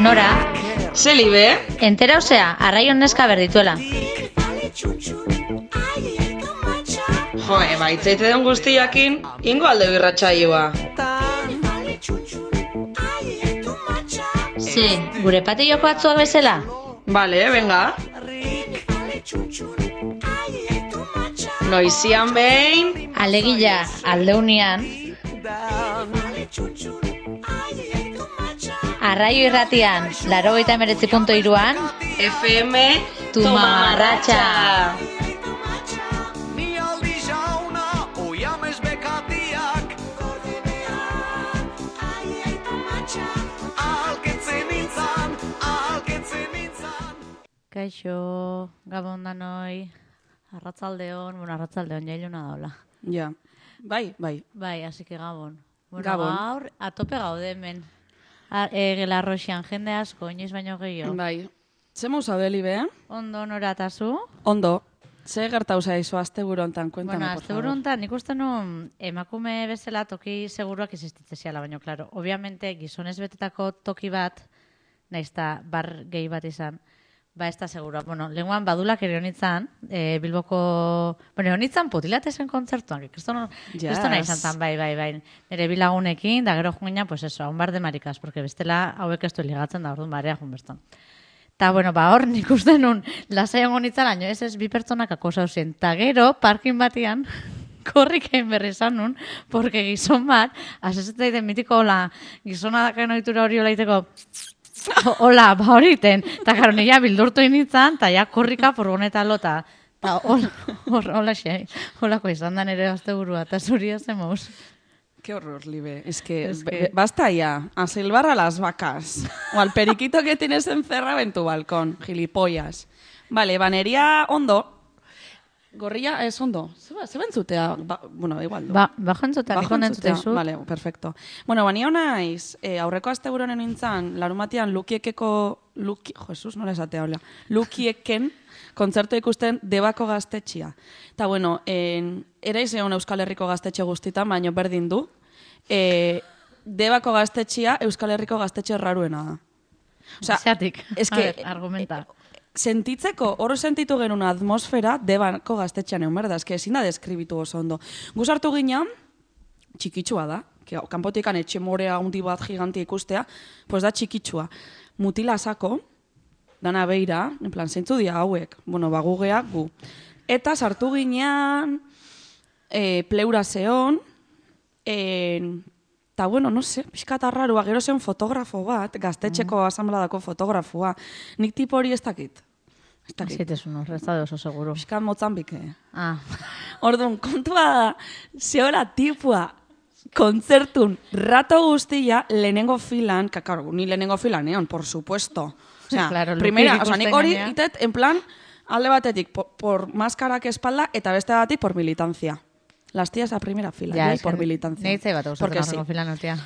Nora? Zelibe? Entera osea, arraion neska berdituela. Joe, baitzaite den guztiakin, ingo alde birratxaioa. Ze, gure patilloko atzuak bezala? Bale, venga. Noizian behin... Alegila, aldeunian. Arraio irratian, 89.3an. FM Tumamarratxa. Kaixo, gabon danoi, arratzaldeon, jailuna daula. Ja, bai. Bai, así que gabon. Bueno, Gabon. gaur, atope gaude hemen. Gelarroxian jende asko, inoiz baino gehiago. Bai. Zemu zaudeli be? Ondo noratazu? Ondo. Ze gertau zaizu asteburu hontan, kuentame, Bueno, por favor. asteburu hontan, nik uste nun emakume bezala toki seguruak existitzeziala, baino, klaro. Obviamente, gizonez betetako toki bat, naizta bar gehi bat izan, ba, ez da segura. Bueno, lenguan badulak ere honitzan, Bilboko... Bueno, honitzan putilatezen kontzertuan, kristona izan zan, bai. Nire bilagunekin, da gero joan pues eso, un bar de marikas, porque bestela hauek ez du ligatzen da, orduan barea joan bertan. Ta, bueno, ba, hor nik uste nun, lasai hongo nitzalaino, ez bi pertsonak akosa husien. Ta gero, parkin batian, korrik egin berri izan nun, porque gizon bat, asezetzen daiten mitiko, hola, gizona dakaen ohitura hori hola iteko, hola, ba horiten, eta karo, nila bildurtu initzan, eta ja korrika furgoneta lota. Eta holako izan da nire asteburua, eta zuri zemoz. Qué horror, Libe. Es que basta ya. A silbar a las vacas. O al periquito que tienes encerrado en tu balcón. Gilipollas. Vale, banería ondo. Gorrilla es ondo. Se bentzutea. Bueno, igual. Ba jantzutea, niko nentzutea zu. Vale, perfecto. Bueno, banio naiz, aurreko asteburonen nintzen, larumatian Jesus, nola esatea, hola. Lukieken kontzertu ikusten Debako gaztetxia. Eta, bueno, eraiz egon Euskal Herriko gaztetxe guztitan, baino berdin du. Debako gaztetxia Euskal Herriko gaztetxe raruena da. Zeatik, argumenta. Sentitzeko, hor sentitu genuen atmosfera Debako gaztetxean egon berda, eske ezin da deskribitu oso ondo. Guzartu ginean, txikitsua da, kanpotikan etxe morea handi bat gigantia ikustea, pues da txikitsua. Mutila sako, dana beira, en plan, zeintzu dia hauek, bueno, bagugea gu. Eta sartu ginean, pleura zeon, eta, bueno, no sé, pixkat arrarua, gero zen fotografo bat, gaztetxeko asambladako fotografoa. Nik tipo hori ez dakit. Zitezun hor, ez da oso seguro. Pixkat Mozambike. Orduan, kontua da, zehola tipua kontzertun rato guztia lehenengo filan, kakaro, ni lehenengo filan egon, por supuesto. Osea, claro, primera, nik hori itet, en plan, alde batetik por maskarak espalda, eta beste batetik por militancia. Las tías a primera fila, ya, por militancia. Nehitzei bat gustatzen horrengo filan urtea.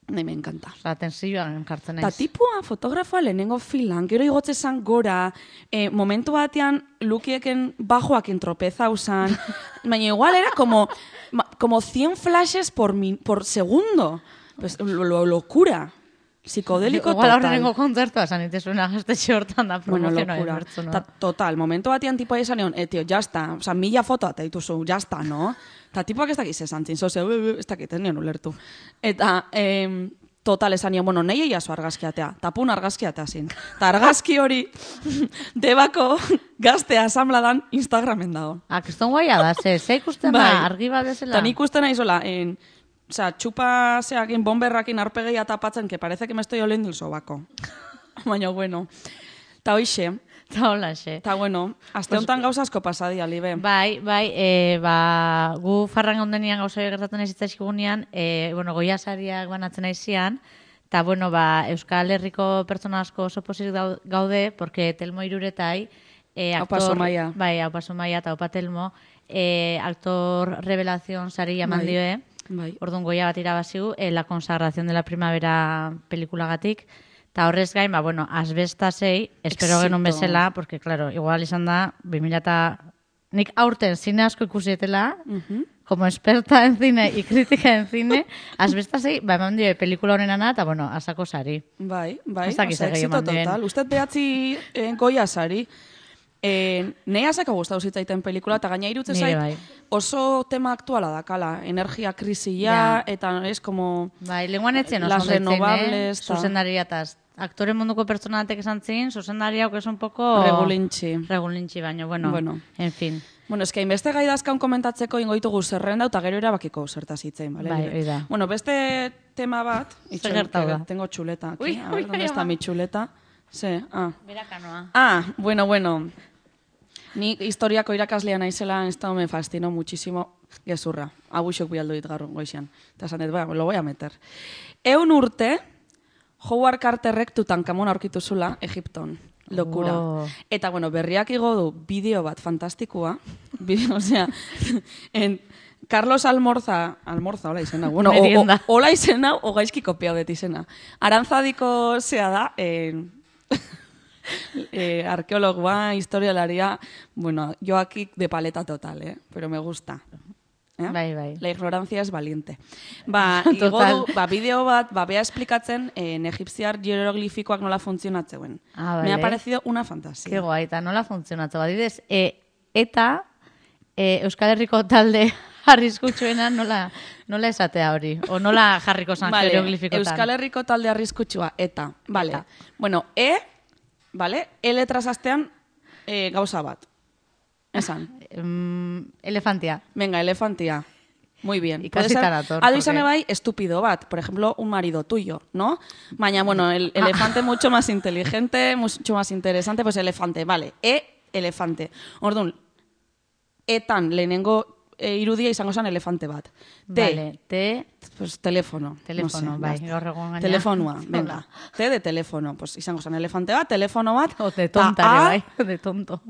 Me encanta. Tensioan kartzen naiz. Ta tipua fotografoa lehenengo filan, gero igotze zan gora, momentu batean Lukieken bajoakin tropeza usan, baina igual era como 100 flashes por segundo. Pues locura. Psicodélico total. Igual horrengo kontzertua esan itezuna gaztetxe hortan da promozioa inbertzu, no? Total, momentu batean tipoa izan egon, tío, ya está, o sea, 1000 foto eta dituzu, ya está, no? Eta tipoak ez dakiz esan zin, ez dakit, ez nion ulertu. Eta, total, esan nion, bueno, nahi eiazu argazkiatea, tapun argazkiatea zin. Eta argazki hori, Debako gazte asambladan Instagramen dago. Kriston guaia da, ze ikusten da, argi bat bezala. Eta nik ikusten naizola, o sea, txupa zeakin, bomberrakin arpegeia tapatzen, que parece que me estoy oliendo el sobaco. Baina, bueno. Ta hoixe. Ta holaxe. Ta, bueno, aste honetan gauza asko pasadia, Libe. Bai, gu farran ondenian gauza gertatzen ez itzaizkigunean, bueno, goia sariak banatzen aizian, eta, bueno, Euskal Herriko pertsona asko oso posik gaude, porque Telmo Iruretai, Aupa Somaia. Bai, Aupa Somaia eta Aupa Telmo, aktor revelación sari eman dioe, orduan goia bat irabazigu, La consagración de la primavera pelikulagatik, eta horrez gain, bueno, asbestasei, espero genuen bezala, porque, claro, igual izan da, nik aurten zine asko ikusietela, como experta en cine y crítica en cine, asbestazei, eman dio pelikula honenana, eta, bueno, asako sari. Bai, Ez dakit zer gehiago éxito eman dien. total. Usted behatzi goia sari. Nei asako gustatu zitzaiten pelikula, eta gaina irutzen Nire zait, bai. oso tema aktuala dakala. Energia krisia, Ja. eta es como... Bai, lenguan etzen oso Las ondo etzen, renovables, ta- zuzendaria eta aktore munduko pertsona batek esan zin, zuzendaria hau que es un poco... Regulintxi, baino, bueno, en fin. Bueno, eske hainbeste gai dazkaun komentatzeko ingo ditugu zerrenda, eta gero erabakiko zertaz hitzein, bale? Bai, hori da. Bueno, beste tema bat... Zer gertatu da? Tengo chuleta aquí. Ui, A ver, ui, ¿dónde está ama. mi chuleta? Sí, Berakanoa. Bueno. Ni historiako irakaslea naizela, esto me fascinó muchísimo. Gezurra. Abuxok bialdu dit gaur goizian. Eta esan dut, lo voy a meter. 100 urte, Howard Carterrek Tutankamon aurkitu zula Egipton. Lokura. Oh. Eta, bueno, berriak igo du bideo bat fantastikoa. Osea, Carlos Almorza, hola izena. Bueno, Merienda. hola izena, o gaizki kopiau dut izena. Arantzadiko zea da, arkeologoa, historialaria, bueno, yo aquí de paleta total, pero me gusta. Bai. La ignorancia es valiente. Total. Bideo bat, bea esplikatzen egipziar hieroglifikoak nola funtzionatzeuen. Ah, Me ha vale. parecido una fantasía. Ke guai, eta nola funtzionatze. Badidez, eta Euskal Herriko talde arriskutsuena nola esatea hori? O nola jarriko zan hieroglifikotan? Euskal Herriko talde arriskutsua, eta. Vale. Eta. Bueno, vale, letras astean gauza bat. Esan. Elefantia. Venga, elefantia. Muy bien. Ikasita dator, Ado izan porque- bai, estúpido bat. Por ejemplo, un marido tuyo, ¿no? Baina, bueno, el elefante mucho más inteligente, mucho más interesante, pues elefante, vale. Elefante. Orduan, etan lehenengo irudia izango zen elefante bat. Vale, Pues teléfono. Telefono, no sé, bai, basta. gaur egun gaina. Telefonoa, venga. T de teléfono. Pues izango zen elefante bat, telefono bat. O de ta tontare, A, bai, de tonto.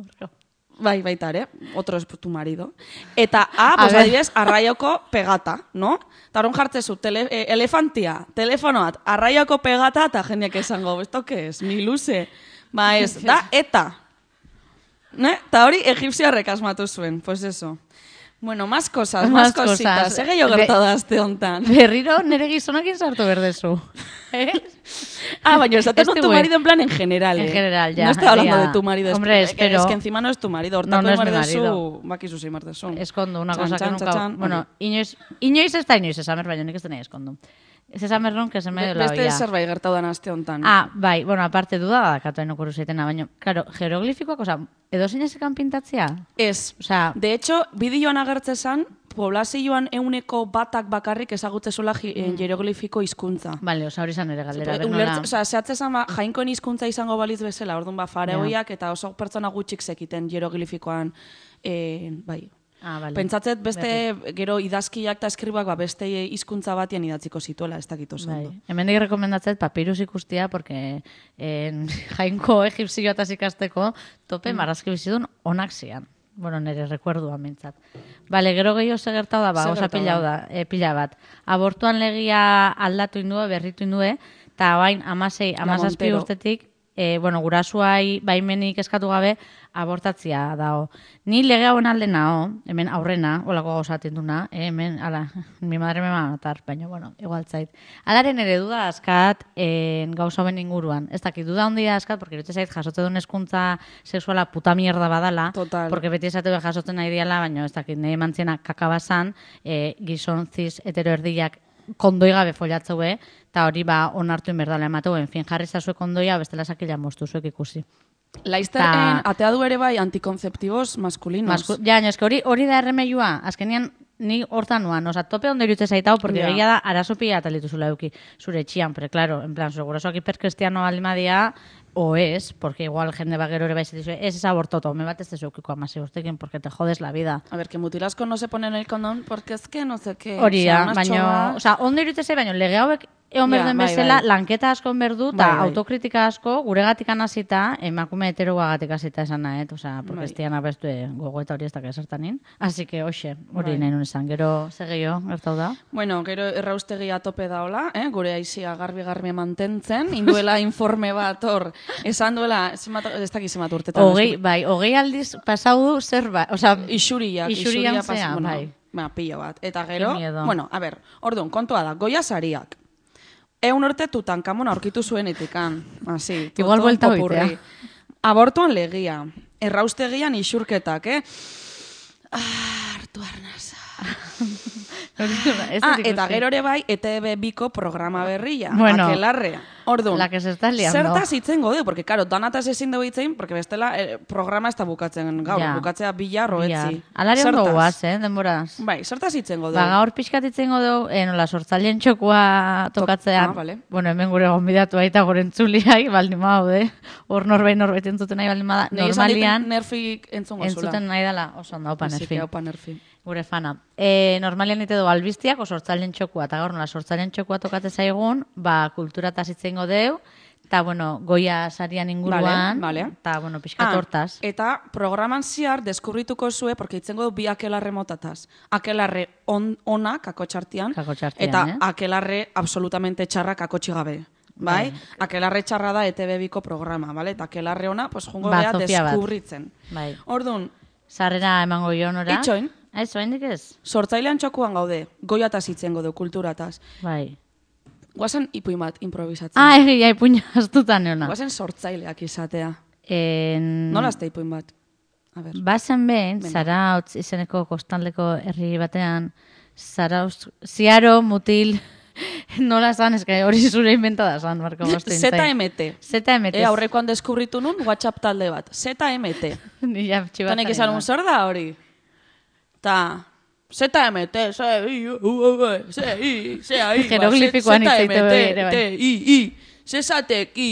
Bai, baita ere. Otro es tu marido. Eta A, A pues ver. adibidez, arraioko pegata, no? Eta horren jartzezu, elefantia, telefonoat, arraioko pegata, eta jendeak esango, ¿esto qué es? Mi luze. Ba ez, da, eta. Ne? Eta hori egipziarrek asmatu zuen, pues eso. Bueno, más cosas, más cositas. Ege jo gertatu da azte hontan. Berriro nere gizonakin sartu berdezu. Baina esaten Este con tu güey. marido en plan en general, En general, ya, No estoy hablando ya. de tu marido. Hombre, es que encima no es tu marido. Hortako No es mi mardezu, marido. bakizu zein mardezu. Eskondu, una Txan, cosa txan, que nunca... txan, Bueno, inoiz ez da inoiz esamer, baina nik ez denei eskondu. Ez esamer non, que se me dio la Beste olla. zerbait gertatu da azte hontan. Bai, bueno, aparte duda badakatu hain okuru zeitena, baina, claro, hieroglifikoak, oza, edo zeinezekan pintatzea? Ez. Osea, De hecho, bideoan agertze zan, poblazioan 100 batak bakarrik ezagutze zula hieroglifiko hizkuntza. Vale, oza, hori zan ere galdera. ber nola- Osea, zehatze zan, jainkoen hizkuntza izango baliz bezala, orduan faraoiak eta oso pertsona gutxik zekiten hieroglifikoan, bai. Vale. Pentsatzet beste gero idazkiak eta eskribak beste hizkuntza batean idatziko zituela, ez dakit oso ondo. Bai. Hemendik rekomendatzet papirus ikustia, porque jainko egipzioa eta ikasteko tope marrazki bizidun onak zian. Bueno, nire rekuerdua mintzat. Bale, gero gehiago segertau da, Zer oza gertatu da? pila bat. Abortuan legia aldatu indue, berritu indue, eta bain amasei, amazazpi Montero. urtetik, gurasuai baimenik eskatu gabe, abortatzia dao. Ni lege hauen alde nao, hemen aurrena, olako gauzaten duna, hemen, ala, mi madre me va a matar, baina, bueno, igual zait. Alaren ere duda askat gauza hauen inguruan. Ez dakit, duda handia askat, porque irute zait jasote duen eskuntza sexuala puta mierda badala, Total. porque beti esate be jasotzen nahi diala, baina ez dakit, nahi mantziena kakabazan, gizon ziz hetero erdiak kondoi gabe follatzue, eta hori onartu inberdala emateu, en fin, jarri zazue kondoia, bestela sakila moztu zuek ikusi. Laizter atea du ere bai antikonzeptibos maskulinos. Hori da erremeiua, azkenian ni hortan nuan, oza, tope ondo irutze zaitau, porque Ja. egia da, arazopi atalitu zula euki, zure etxian, pero claro, en plan, zure gurasoak hiperkristiano aldimadia, o es, porque igual jende bagero ere baiz dizu, es abortoto, me bat ez dezeukiko amase urtekin, porque te jodes la vida. A ver, que mutilasko no se ponen el condón porque es que no sé qué. Hori O sea, da, unas baina, chorras. oza, ondo irutze zait, baina lege hauek egon berduen bai, bezala, bai. lanketa asko berdu, eta Bai. autokritika asko, guregatik hasita, emakume heteroagatik hasita esan nahet, osea, porque ez dian abestu gogoeta hori ez da esertanin. Así que, hoxe, hori nahi nun esan, gero, segio, gertau da. Bueno, gero erraustegia tope daola, gure aizia garbi mantentzen, induela informe bat hor, esan duela, ez dakiz zenbat urtetan. Hogei aldiz pasau du zerbait, osea, Isuriak zea, bueno, bai. Pila bat. Eta gero, Qué miedo. bueno, a ber, orduan, kontua da, Goya sariak. 100 urte Tutankamon aurkitu zuen itikan. Así, Igual buelta hoitea. Abortuan legia. Erraustegian isurketak, hartu arnasa. Eta gero ere bai, ETV biko programa berria. Bueno, Akelarre. Orduan, la que se está liando. zertaz itzen gode, porque, karo, danataz ezin dugu itzein, porque bestela programa ez da bukatzen gaur, Ja. bukatzea bila roetzi. Alari ondo guaz, denboraz. Bai, zertaz itzen gode. Gaur pixkat itzen godu, nola sortzaileen txokua tokatzean. vale. Bueno, hemen gure gonbidatu aita gure entzuliai, baldin maude. Hor norbait entzuten nahi baldin bada. Normalian, nerfik entzungo zula. entzuten nahi dela, oso ondo, opa nerfi. Opa nerfi. Gure fana. Normalian ite du albiztiak, sortzaileen txokua, eta gaur nola sortzaileen txokua tokate zaigun, kultura tazitzen godeu, eta, bueno, Goya sarian inguruan, Vale. eta, bueno, pixkat hortaz. Eta programan ziar deskubrituko zue, porque itzengo du bi akelarre motataz. Akelarre ona, kakotxartian, eta akelarre absolutamente txarra kakotxigabe. Bai? Akelarre txarra da ETV biko programa, vale? Eta akelarre ona, pues jungo bea deskubritzen. Bai. Orduan, sarrera emango jonora. itxoin, Ez, oraindik ez? sortzailean txokuan gaude, Goiataz itzengo du, kulturataz. Bai. Guazen ipuin bat improvisatzen. Egia, ipuina astutan neona. Guazen sortzaileak izatea. Nola azte ipuin bat? A ber. Bazen behin, Zarautz izeneko kostaleko herri batean, ziaro mutil, nola zan, eska hori zure inventada zan, Marko Bostin. ZMT. Aurrekoan deskubritu nun, WhatsApp talde bat. ZMT. Nila txibatzaren. Tanek izan un zer da hori? Ta... ZMT, Jeroglifikoan itzaite ere, bai. Zesateki.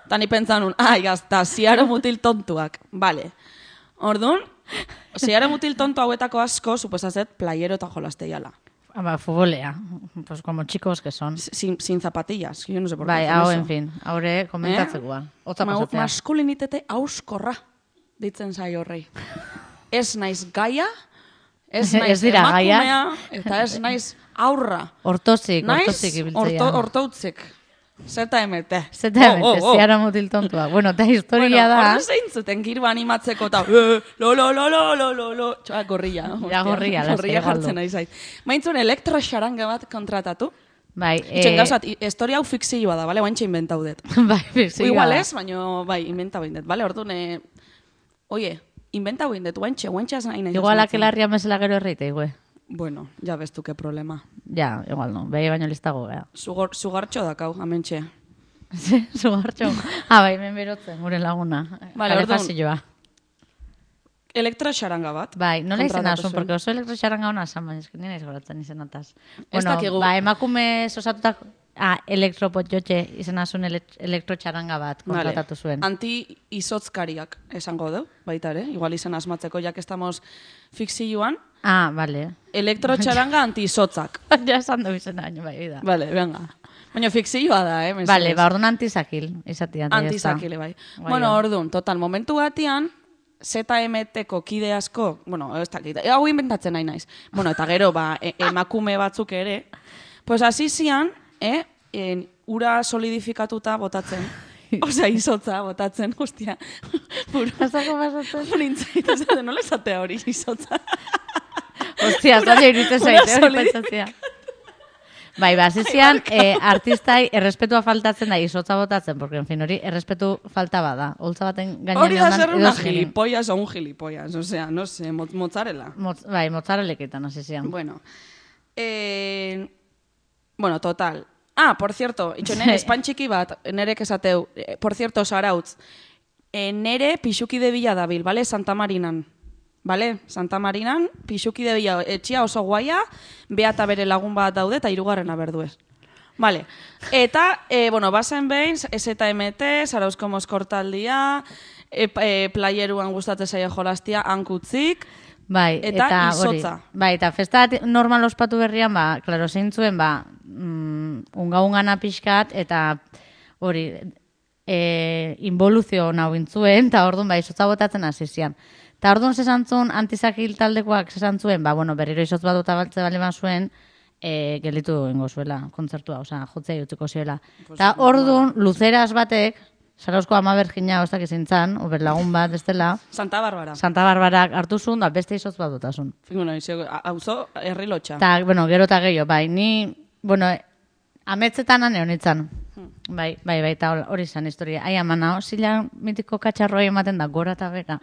Ta ni pentsan un, gazta, ziaro mutil tontuak. Vale. Orduan, ziaro mutil tontu hauetako asko, suposazet, playero eta jolasteiala. Futbolea, pues como chicos que son. Sin zapatillas, yo no sé por qué. Bai, hau, en fin, haure komentatzekoa. Otza pasatzea. Maskulinitete auskorra, ditzen zai horrei. Ez naiz gaia, ez naiz emakumea, eta ez naiz aurra. Hortozik ibiltzea. Hortoutzik. ZMT. ZMT, ziara mutil tontua. Bueno, eta historia da... Horra zeintzuten girba animatzeko eta lo, txoa, gorria. Ja, gorria jartzen nahi zait. Maintzun elektroxaranga bat kontratatu. Bai. Itxen gauzat, historia hau fikzioa da, bale? Oaintxe inventau dut. Bai, fikzioa. Igual ez, baina, bai, inventau indet, bale? Orduan, oie, inventau indet, oaintxe ez nahi nahi. Igual akelarria mesela gero erreite, igüe. Bueno, ja bestu ke problema. Ja, igual no, behi baino listago, bea. Sugartxo dakau, amentxe. Sugartxo. Bai, men berotzen, gure laguna. Vale, orduan. Elektroxaranga bat. Bai, nola izena asun, porque oso elektroxaranga hona esan, baina esken nina izgoratzen izenataz. Bueno, emakume sosatutak... elektropotxotxe izan asun elektrotxaranga bat kontratatu zuen. Anti-izotzkariak esango du, baita ere, igual izan asmatzeko, jak estamos fikzioan. Vale. Elektrotxaranga anti-izotzak. Ja esan du izena, bai, da. Vale, venga. Baina fikzioa da, mesedez. Vale, orduan antizakil, izatea. Antizakile, bai. Bueno, orduan, total, momentu batian, ZMT-ko kide asko, bueno, ez dakit, hau inventatzen nahi naiz. Bueno, eta gero, emakume batzuk ere, pues hasi zian, ura solidifikatuta botatzen. Osea, izotza botatzen, hostia. Azako pasatzen. Nintzait, ez nola esatea hori izotza. Hostia, zaila iruditzen zaite hori pasatzea. Bai, zizian, artistai errespetua faltatzen da izotza botatzen, porque, en fin, hori errespetu falta bada. Holtza baten gainean hori da zer una gilipollas o un gilipollas, osea, no sé, mozzarella. Bai, mozzarelleketan, hasi zian. Bueno, total. Por cierto, espan txiki bat, nerek esateu, por cierto, Zarautz, nere pixuki de bila dabil, vale? Santa Marinan. Vale? Santa Marinan, pixuki de bila, etxia oso guaia, beata bere lagun bat daude, eta hirugarrena berduez. Vale. Eta, bazen behin, ZMT, Zarauzko mozkortaldia, playeruan gustatzen zaio jolastia, hankutzik, bai, eta izotza. Bai, eta festa normal ospatu berrian, klaro, zeintzuen, unga-ungana pixkat, eta hori, involuzio nahu intzuen, eta orduan, izotza botatzen hasi zian. Eta orduan zesantzun, antizakil taldekoak zesantzuen, berriro izotz bat botabaltze bali zuen, gelditu ingo zuela, kontzertua, jotzea jutuko zuela. Eta orduan, luzeras batek, Zarauzko ama bergina hostak izintzan, lagun bat, ez dela. Santa Barbara. Santa Barbarak hartu zuen, da beste izotz bat dutasun. Hauzo, herri lotxa. Ta, gero eta gehiago, ni, ametzetan ane honitzen. Bai, eta hori izan historia. Ai, amana, zila mitiko katxarroi ematen da, gora eta bera.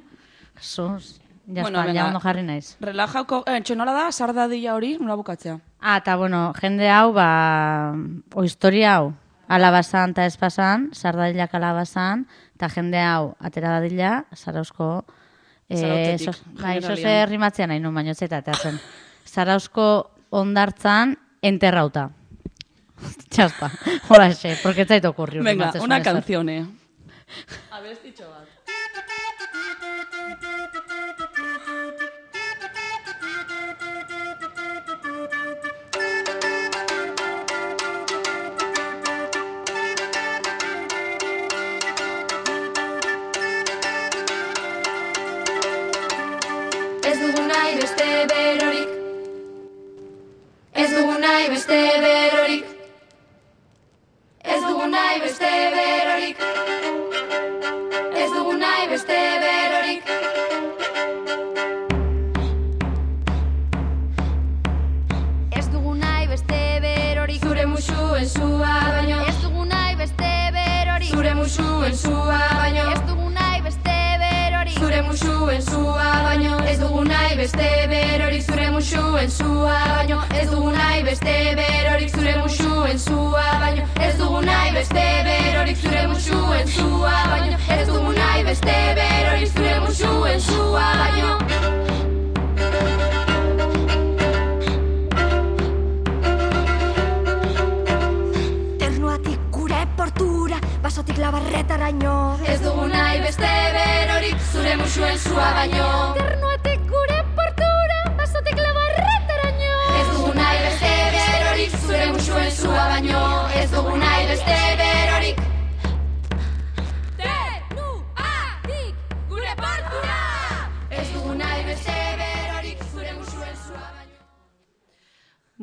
Jesús, ja ondo jarri naiz. Relajauko, txenola da, sardadilla hori, nola bukatzea? Eta, jende hau, o historia hau, alabazan eta espazan, sardailak alabazan, eta jende hau atera dadila, Zarauzko... Zoze rimatzea nahi nun baino zeta, eta zen. Zarauzko ondartzan enterrauta. Txasta, hola xe, porque zait okurriu. Venga, una canzione. Abestitxo bat.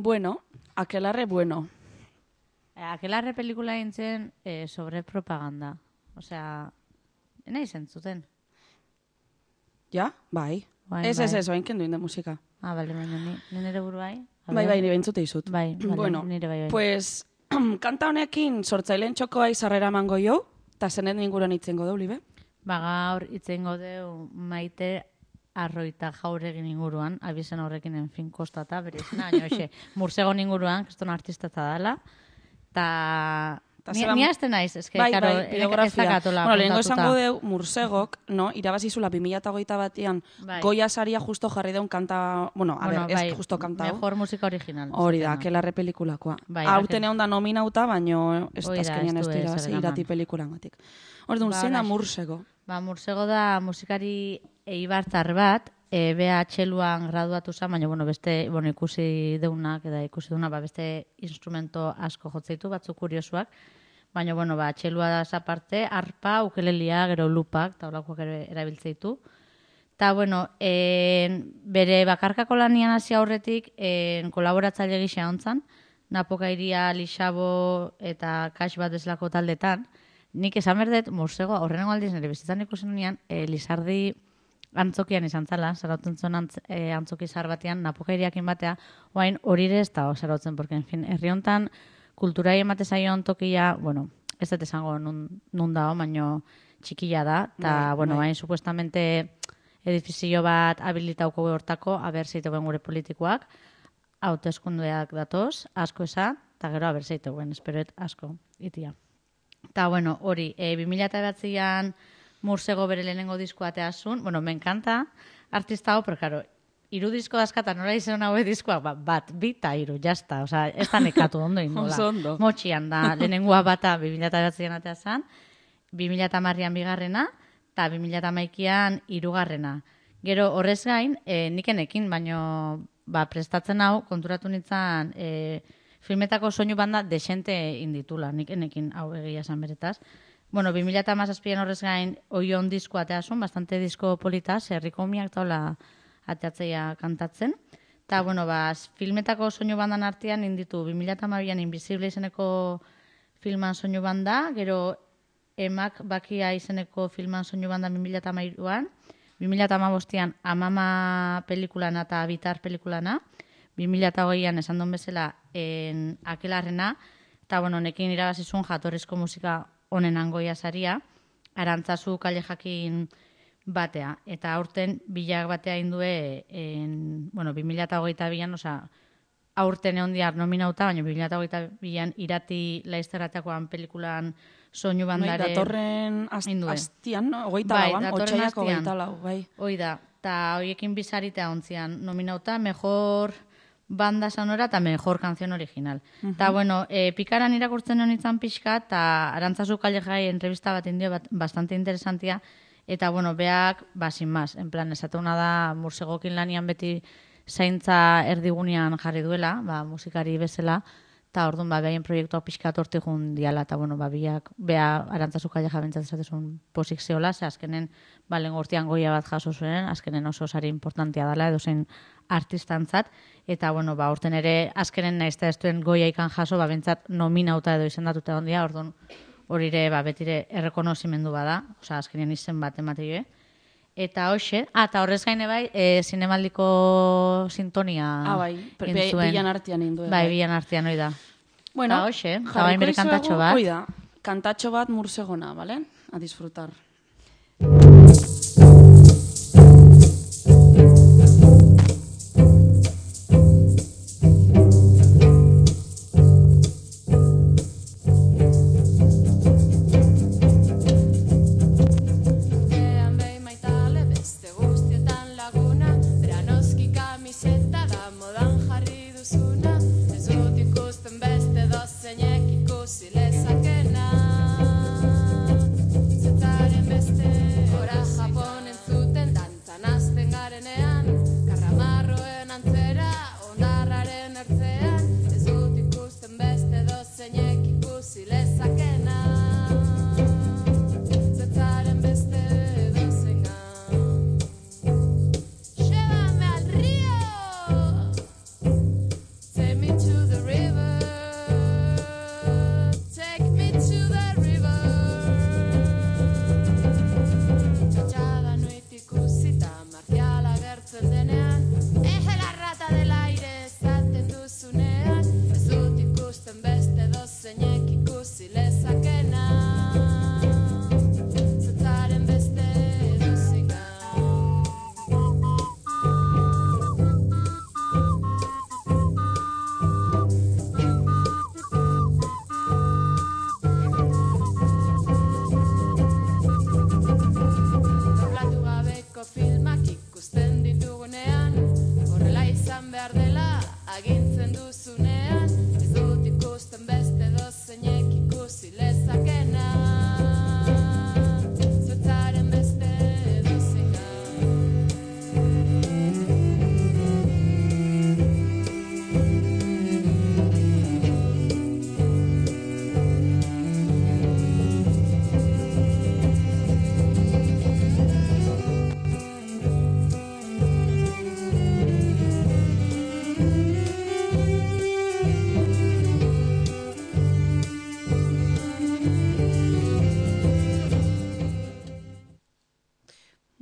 Bueno, aquelarre bueno. Aquelarre pelikula gintzen sobre propaganda. Osea, nahi zentzuten. Ja? Bai. Ez, bain kenduin de musika. Bale, baina nire buru bai. Bai, nire bentzute izut. Bai, bueno, nire bai. Pues, kanta honekin sortzaileen txokoa izarrera mango jo, eta zenet inguruan itzengo deu, libe? Gaur itzengo deu Maite Arroita Jauregin inguruan, abizen horrekin enfin kostata, berizena, Mursegon inguruan, keston artistatza dela, eta ni azte naiz, eske, karo, ez dakatola. Bueno, lehenko esango deu, Mursegok, irabazizula 2021an, Goya saria justo jarri deun kanta, ez justo kanta hau. Mejor musika original. Hori da, aquelarre pelikulakoa. Hauten egon da nominauta, baino ez azkenean ez dira irati pelikulan gatik. Orduan, zein da Mursego? Mursego da musikari eibartar bat, bea txeluan graduatu zen, baina beste ikusi deunak, beste instrumento asko jotzeitu, batzuk kuriosuak, baina txelua da aparte, arpa, ukelelia, gero lupak, taulakoak erabiltzeitu. Eta, bere bakarkako lanian hasi aurretik, kolaboratzaile gisa hontzan, Napoka Iria, Lixabo eta Kax bat deslako taldetan, nik esan berdet, Mursego, horrengo aldiz nire bizitzan ikusen unian, Lizardi antzokian izan zala, zarautzen zuen antzoki zahar batean, Napoka Iriakin batea, oain horire ez da zarautzen, porque, en fin, herri hontan kulturai emate zaion tokia, ez dut esango nun dao, baino txikila da, eta, oain, supuestamente edifizio bat habilitauko hortako, aber zeiteuen gure politikoak, hauteskundeak datoz, asko eza, eta gero aber zeiteuen, esperoet asko, itia. Eta, hori, 2009an Mursego bere lehenengo diskoa ateazun, me encanta artista hau, pero, claro, iru disko dazkata nola izan haue diskoa, bat, bita, iru, jazta, oza, ez da nekatu ondo indola. Motxian da, lehenengoa bata 2009an ateazan, 2010an bigarrena, eta 2011an hirugarrena. Gero, horrez gain, nikenekin, baino, prestatzen hau, konturatu nintzen, filmetako soinu banda desente inditula, nik enekin hau egia esan beretaz. Bueno, 2017an horrez gain oion disko ateasun, bastante disko politaz, herriko umiak taula ateatzea kantatzen. Eta, bueno, filmetako soinu bandan artean inditu 2012an Invisible izeneko filman soinu banda, gero Emak Bakia izeneko filman soinu banda 2013an, 2015an Amama pelikulana eta Bitar pelikulana, 2020an esan duen bezala Akelarrena, eta, bueno, nekin irabazizun jatorrizko musika honen goia saria, Arantzazu Kale Jakin batea. Eta aurten bilak batea indue, 2022an, aurten egon diar nominauta, baina 2022an Irati Laizterrateakoan pelikulan soinu bandare... Datorren astian, no? Ogeita lauan, otxaiako ogeita lau, bai. Hoi da, eta hoiekin bizaritea ontzian nominauta, mejor banda sonora eta mejor canción original. Eta, bueno, pikaran irakurtzen honitzen pixka, eta Arantzazu Kale Jai entrevista bat indio bastante interesantia, eta, bueno, beak, sin más, en plan, esatuna da Mursegokin lanian beti zaintza erdigunean jarri duela, musikari bezala, eta orduan, behaien proiektua pixka torti jun diala, eta, bueno, bea Arantzazu Kale Jai bentzat esatezun posik zeola, ze azkenen, lehen urtean goia bat jaso zuen, azkenen oso sari importantia dela, edo zein artistantzat, eta, bueno, urten ere azkenen naizta ez duen goia ikan jaso, bentzat nominauta edo izendatuta ondia, orduan, hori ere, betire errekonozimendu bada, oza, azkenean izen bat emateio, Eta hoxe, eta horrez gaine bai, zinemaldiko sintonia bilan artean induen. Bai, bilan artean, hoi da. Bueno, eta hoxe, eta bain bere kantatxo bat. Hoi da, kantatxo bat Mursegona, bale? A disfrutar.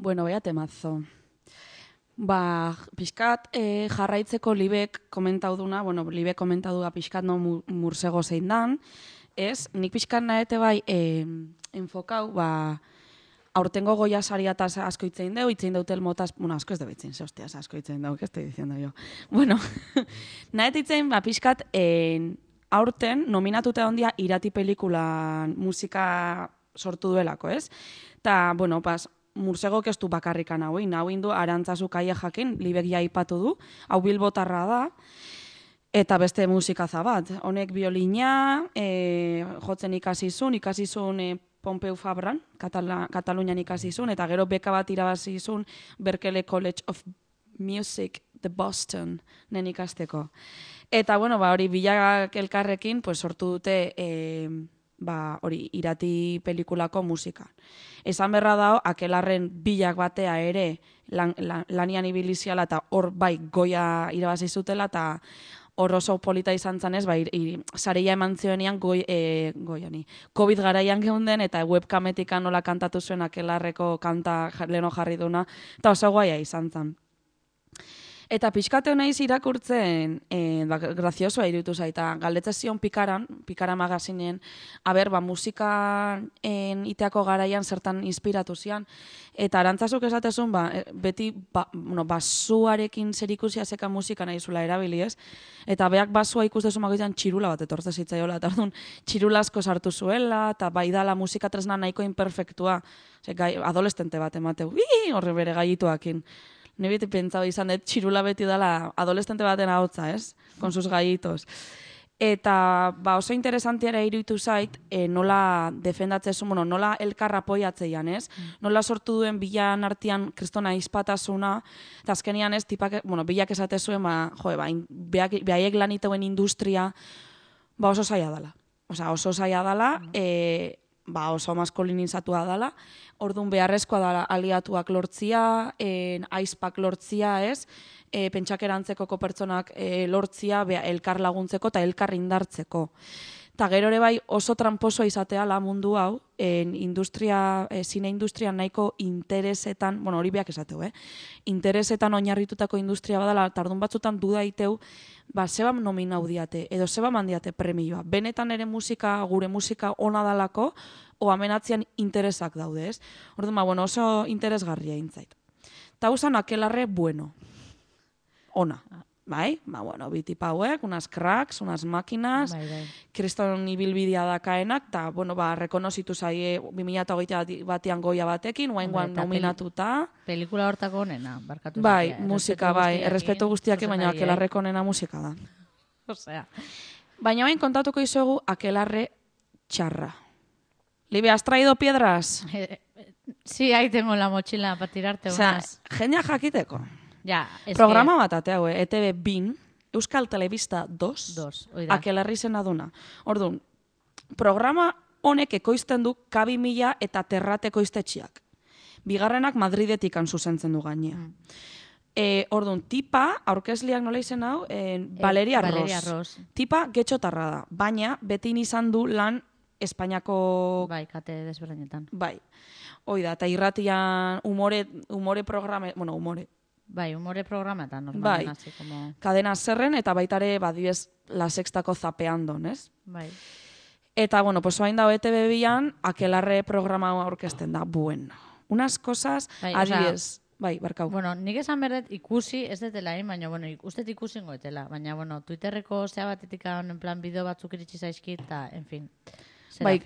Bueno, vaya temazo. Pixkat jarraitzeko Libek komentau duna, Libek komentau duna pixkat Mursego zein dan, nik pixkat naete bai enfokau, aurtengo goia saria eta asko itzein deu, itzein deutel motaz, asko ez deu itzein, hostias, asko itzein deu, que estoy diciendo yo. Naete itzein, pixkat aurten nominatute ondia Irati pelikulan musika sortu duelako, ez? Eta, Mursegok ez du bakarrikan hauin, du Arantzazu Kale Jakin, Libek ja aipatu du, hau bilbotarra da, eta beste musikaza bat. Honek biolina, jotzen ikasizun Pompeu Fabran, Katalunian ikasizun, eta gero beka bat irabazizun Berkeley College of Music the Boston, nen ikasteko. Eta, bueno, hori bilak elkarrekin, pues, sortu dute, hori, irati pelikulako musika. Esan berra dao, Akelarren bilak batea ere lanian ibiliziala eta hor bai goia irabazi zutela eta hor oso polita izan zanez, sareia eman zioenean goiani. COVID garaian geunden eta webkametikan nola kantatu zuen Akelarreko kanta leno jarri duna, eta oso goia izan zan. Eta pixkate naiz irakurtzen, graziosoa iruditu zaita, galdetze zion Pikara magazinen, musika iteako garaian zertan inspiratu zian, eta arantzazuk esatezun, beti basuarekin zerikusia zeka musika nahi zula erabili ez, eta beak basua ikustezun magoitan txirula bat etortze zitzaiola, eta orduan txirula asko sartu zuela, eta bai dala musika tresna nahiko imperfektua, adolescente bat emateu, horre bere gaituakin. Ni beti pentsau izan dut txirula beti dela adolescente baten ahotza, ez? Con sus gallitos. Eta oso interesantiara iruditu zait, nola defendatzezu, nola elkarra apoiatzeian, ez? Nola sortu duen bilan artean kristona izpatasuna, eta azkenian ez, bilak esatezuen, behaiek laniteuen industria, oso zaila dela. Oso zaila dela, oso maskulinizatua dela, orduan beharrezkoa da aliatuak lortzia, aizpak lortzia, ez? Pentsakerantzeko pertsonak lortzia, elkar laguntzeko eta elkar indartzeko. Eta gero ere bai oso tramposoa izatea la mundu hau, zine industria nahiko interesetan, hori beak esateu, interesetan oinarritutako industria badala, eta orduan batzutan duda iteu, zeba nominau diate, edo zeba mandiate premioa. Benetan ere gure musika ona dalako, o amenatzean interesak daude, ez? Orduan, oso interesgarria intzait. Ta usan Akelarre bueno. Ona. Bai? Bitipa hauek, unas cracks, unas máquinas, kriston ibilbidea dakaenak, eta, rekonozitu zaie 2008 batean goia batekin, oaingoan nominatuta. Pelikula hortako onena, barkatu. Bai, musika, errespetu guztiak, baina Akelarreko onena musika da. Osea. Baina hain kontatuko izuegu Akelarre txarra. Libe, ¿has traído piedras? Sí, ahí tengo la mochila para tirarte unas. Jendea jakiteko. Ja, programa bat ateago, ETV bin, Euskal Telebista 2, Akelarri zena duna. Orduan, programa honek ekoizten du K2000 eta Terrate ekoiztetxiak. Bigarrenak Madridetik zuzentzen du gainea. Orduan, tipa, aurkezliak nola izen hau, Valeria Ros. Tipa getxotarra da, baina beti izan du lan Espainiako... Bai, kate desberdinetan. Bai, oida, eta irratian umore programa, Bai, humore programetan. Bai, Kadena Zerren eta baitare badibez La Sextako zapeandon, ez? Bai. Eta, hain dago ETV bian, Akelarre programa orkesten da, Unas cosas, adibez, barkau. Nik esan berdet ikusi, ez detela, baina, ustet ikusi ingoetela, baina, Twitterreko zea batetik en plan bideo batzuk iritsi zaizkit, eta, en fin.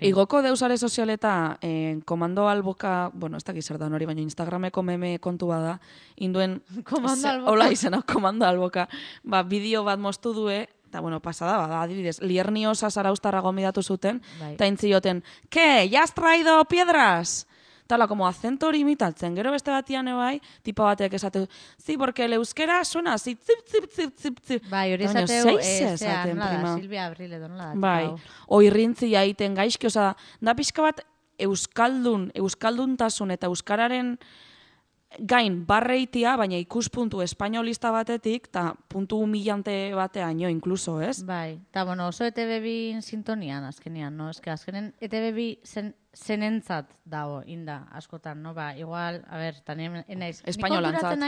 Igoko deusare sozialeta komando alboka, ez dakiz zer da hori, baina Instagrameko meme kontua da, induen, komando alboka. Hola izena, komando alboka, bideo bat moztu due, eta, pasada bada, adibidez, Liernios Zaraustarra gomidatu zuten, eta intzioten, ¿qué? ¿Ya has traído piedras? Tala, como acento hori imitatzen. Gero beste batian bai, tipa batek esatu, sí, porque el euskera suena así, zip. Bai, hori esateu, Silvia Abril edo nola da. Bai, oirrintzi jaiten gaizki, da pixka bat euskalduntasun eta euskararen gain barreitia, baina ikuspuntu espainolista batetik, eta puntu humillante bateaino, inkluso, ez? Bai, eta oso ETV bin sintonian, azkenean, no? Azkenen ETV bi zenentzat dago, inda, askotan, no? Igual, tanien naiz. Espainolantzat.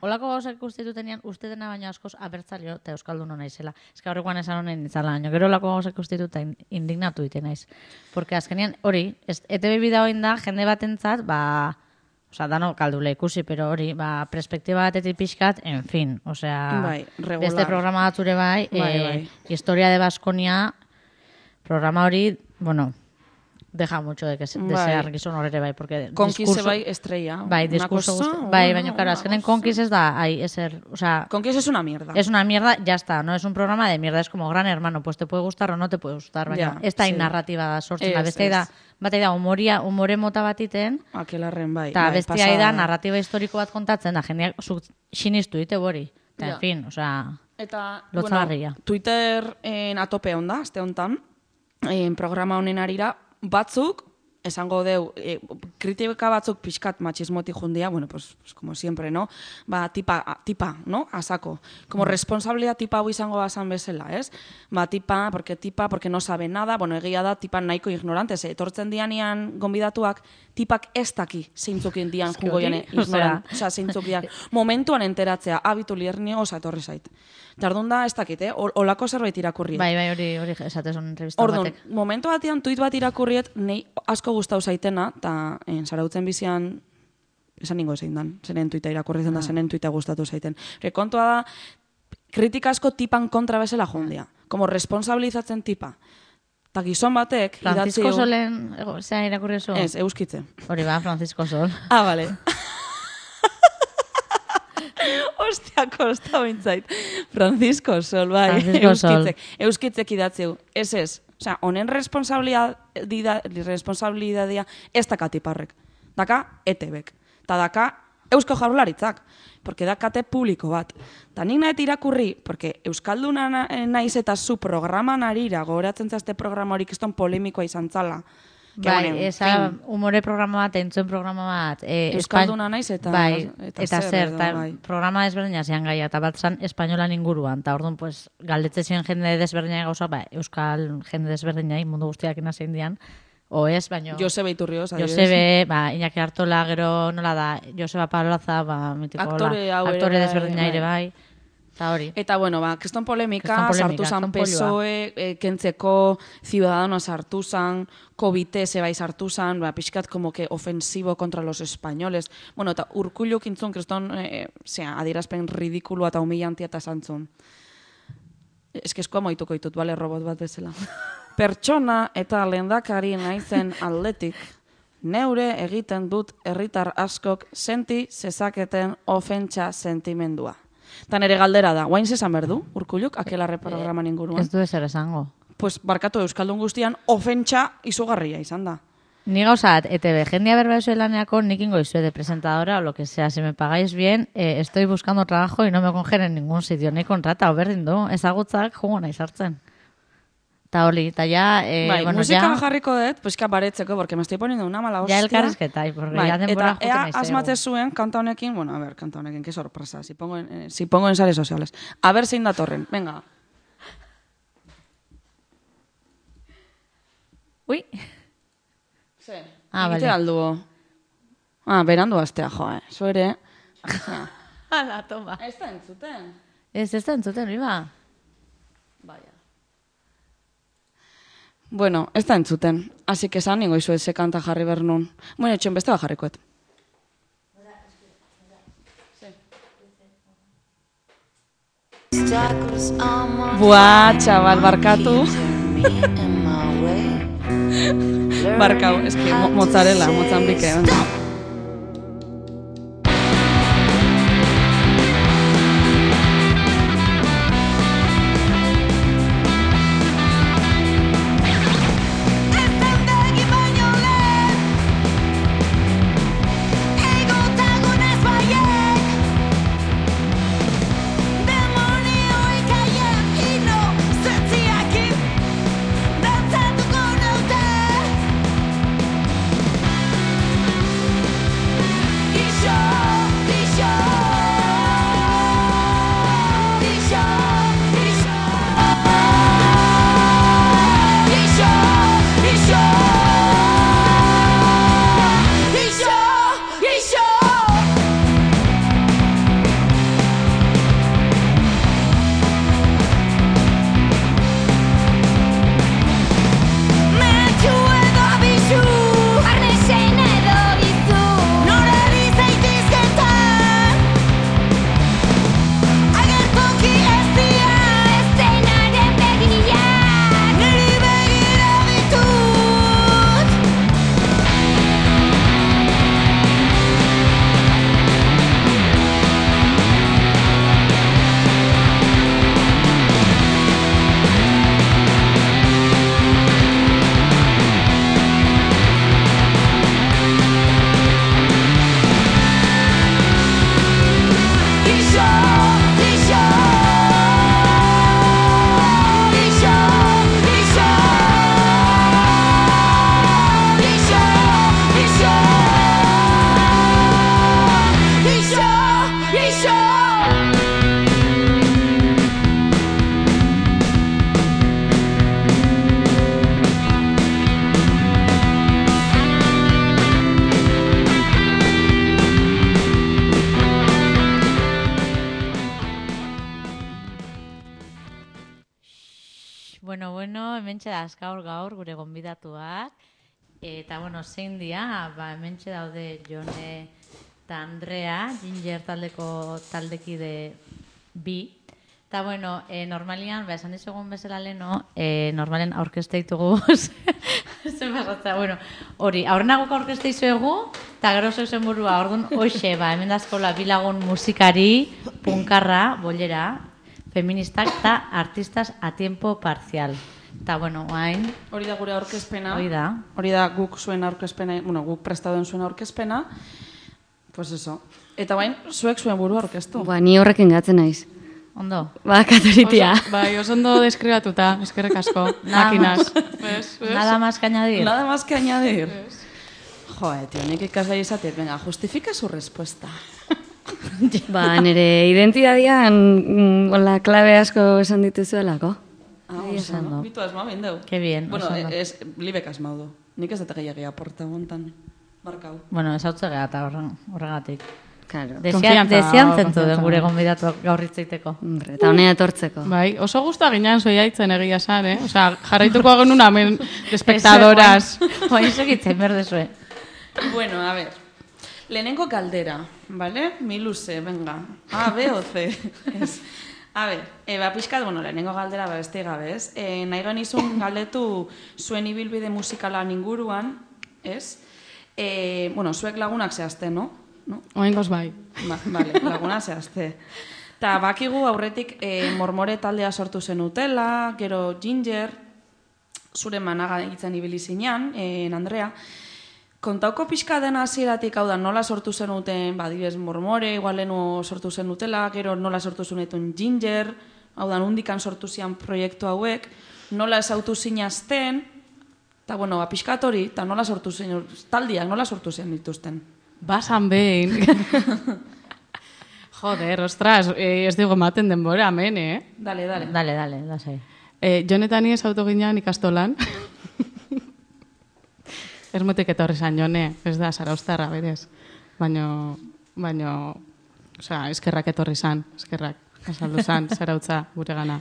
Olako gauzak ikustitutenean, uste dena baino askoz abertzaleo eta euskaldun naizela. Horrekoan esan honen izala, baina gero olako gauzak ikustituta indignatu dite naiz. Porque azkenean, hori, ETV bi dago inda, jende batentzat, dano kaldule ikusi, pero hori, perspektiba batetik pixkat, en fin, beste programa batzure bai, Historia de Baskonia, programa hori, deja mucho de desear gizon horre bai, porque Conquise bai estrella. Bai, discurso bai, baina, claro, azkenen Conquise es da, Conquise es una mierda. Es una mierda, ya está, no es un programa de mierda, es como Gran Hermano, pues te puede gustar o no te puede gustar, baina, ez da narrativa da sortzen, beste da, umore mota batiten, Akelarren bai. Eta bestia da, narratiba historiko bat kontatzen da, jendeak sinistu dite hori. Eta, Ja. en fin, osea, Eta, lotzagarria. Twitter atope onda, azte hontan, programa honen arira, batzuk, esango deu, kritika batzuk pixkat machismoti jundia, bueno, pues como siempre, ¿no? Ba, tipa, ¿no? Asako. Como responsabilidad tipa hau izango bazan bezala, ez? Ba, tipa, porque no sabe nada, bueno, egia da, tipa nahiko ignorante, etortzen dianian gonbidatuak, tipak ez daki zeintzuk dian jungo jane ignorant, osea, zeintzuk dian. Momentuan enteratzea, abitu lierni osa etorri zait. Tardun da, ez dakit, olako zerbait irakurriet. Bai, hori esatezun entrevista Orduan, batek. momentu batean tuit bat irakurriet, nei asko gustau zaitena, eta zarautzen bizian, esan ningo zein dan, zenen tuita irakurri zen da, zenen tuita gustatu zaiten. Kontua da, kritika asko tipan kontra bezala jondia. Como responsabilizatzen tipa. Ta gizon batek, Francisco Solen, zea irakurri oso? Ez, euskitze. Hori ba, Francisco Sol. Ah, vale. Ostia, kosta bintzait. Francisco Sol, bai. Francisco Sol. Euskitzek idatzeu. Ez. Osea, honen responsabilidadia ez daka tiparrek. Daka ETBek. Ta daka Eusko Jaurlaritzak. Porque dakate publiko bat. Ta nik nahet irakurri, porque Euskalduna naiz eta zu programan arira, gogoratzen zazte programa horik iston polemikoa izan zala. Bai, esa humore programa bat, entzuen programa bat. Euskalduna naiz eta bai, eta zer, bai. programa desberdina zean gaia, eta bat zan espainolan inguruan, eta orduan, pues, galdetze ziren jende desberdina gauza, ba, euskal jende desberdina, mundu guztiak inazein dian, o ez, baino... Josebe Iturrioz, adibidez. Josebe, ba, Iñaki Artola, gero nola da, Joseba Pabloza, ba, mitiko aktore desberdina ere bai, eta hori. Eta, bueno, ba, kriston polemika, sartu zan PSOE, kentzeko Ciudadanos sartu zan, COVID bai sartu zan, ba, pixkat como que ofensivo contra los españoles. Bueno, eta Urkulluk intzun, kriston, adierazpen ridikulua eta humillantia eta zantzun. Eskoa moituko ditut, bale, robot bat bezala. Pertsona eta lehendakari naizen atletik, neure egiten dut herritar askok senti zezaketen ofentsa sentimendua. Eta nere galdera da, guain zezan berdu, Urkulluk, akelarre programan inguruan? Ez du ezer esango. Pues barkatu Euskaldun guztian, ofentsa izugarria izan da. Ni gauzat, ETV, jendia berba eso laneako, nik ingo izue de presentadora o lo que sea, si me pagáis bien, estoy buscando trabajo y no me cogen en ningún sitio, ni kontrata, berdin du, ezagutzak jugo nahi sartzen. Eta hori, eta ya... bai, bueno, musika ya, jarriko dut, pues baretzeko, porque me estoy poniendo una mala hostia. ya elkarrizketa, porque bai, ya denbora eta juten ea nahi asmatze zuen kanta honekin, bueno, a ver, kanta honekin, qué sorpresa, si pongo en redes sociales. A ver zein datorren, venga. Ui, Ze, Ah, egite vale. alduo. Ah, berandu astea, zu ere. ala, toma. Ez da entzuten. Ez da entzuten, hori ba. Vaya. Bueno, ez da entzuten. Así que esan ningo izu eze kanta jarri bernun. Bueno, etxen beste bat jarrikoet. Buah, txabal, barkatu. Barkau, eski, mozzarella, Mozambike. hementxe da gaur gure gonbidatuak. Eta, bueno, zein dia, hementxe daude Jone eta Andrea, Ginger taldeko taldekide bi. Eta, bueno, normalian, esan dizugun bezala leno, normalen aurkeste ditugu, zen basatza, bueno, hori, aurrenagoko aurkeste dizuegu, eta gero zeuzen burua, orduan, hoxe, hemen dazkola bilagun musikari, punkarra, bollera, feministak eta artistas a tiempo parcial. Eta, bueno, guain... Hori da gure aurkezpena. Hori da guk zuen aurkezpena, bueno, guk prestadoen zuen aurkezpena. Pues eso. Eta bain, zuek zuen burua aurkeztu. Ni horrekin gatzen naiz. Ondo. Katoritia. Oso ondo deskribatuta, eskerrik asko, máquinas. Nada más que añadir. Nada más que añadir. Joder, tío, nik ikasai izateet, venga, justifica su respuesta. Nire identidadian la klabe asko esan dituzuelako. Oso, bitu asma behin deu. Que bien. Bueno, libek asmau du. Nik ez dut gehiagia aporta gontan. Barkau. Bueno, ez hau zegea eta horregatik. Claro. Desian zentu den gure gonbidatu gaur hitzaiteko. Eta honea etortzeko. Bai, oso guztua ginean zoiaitzen egia san, Osea, jarraituko genuen hemen espectadoras. Oain segitzen berdezue. Bueno, a ver. Lehenengo galdera, ¿vale? Mi luze, venga. A, B o C. A ver, pixkat, bueno, lehenengo galdera beste gabe, ez? Nahi genizun galdetu zuen ibilbide musikalan inguruan, ez? Bueno, zuek lagunak zehazte, no? Oengoz bai. Vale, laguna zehazte. Ta bakigu aurretik mormore taldea sortu zenutela, gero Ginger, zure managa egiten ibili zinean, Andrea. Kontauko pixka dena hasieratik, hau da, nola sortu zenuten, dibez mormore, igualenu sortu zenutela, gero nola sortu zenutun Ginger, hau da, nundikan sortu zian proiektu hauek, nola esautu zinazten, eta, bueno, pixkat hori, eta nola sortu zen, taldiak nola sortu zen dituzten. Basan behin. Joder, ostras, ez dugu ematen denbora, hemen, Dale, lasai. Jonetan ez auto ginean ikastolan. Ermotik etorri zan, Jone, ez da, Zarauztarra, berez. Baino, osea, eskerrak etorri zan, eskerrak, azaldu zan, Zarautza, gure gana.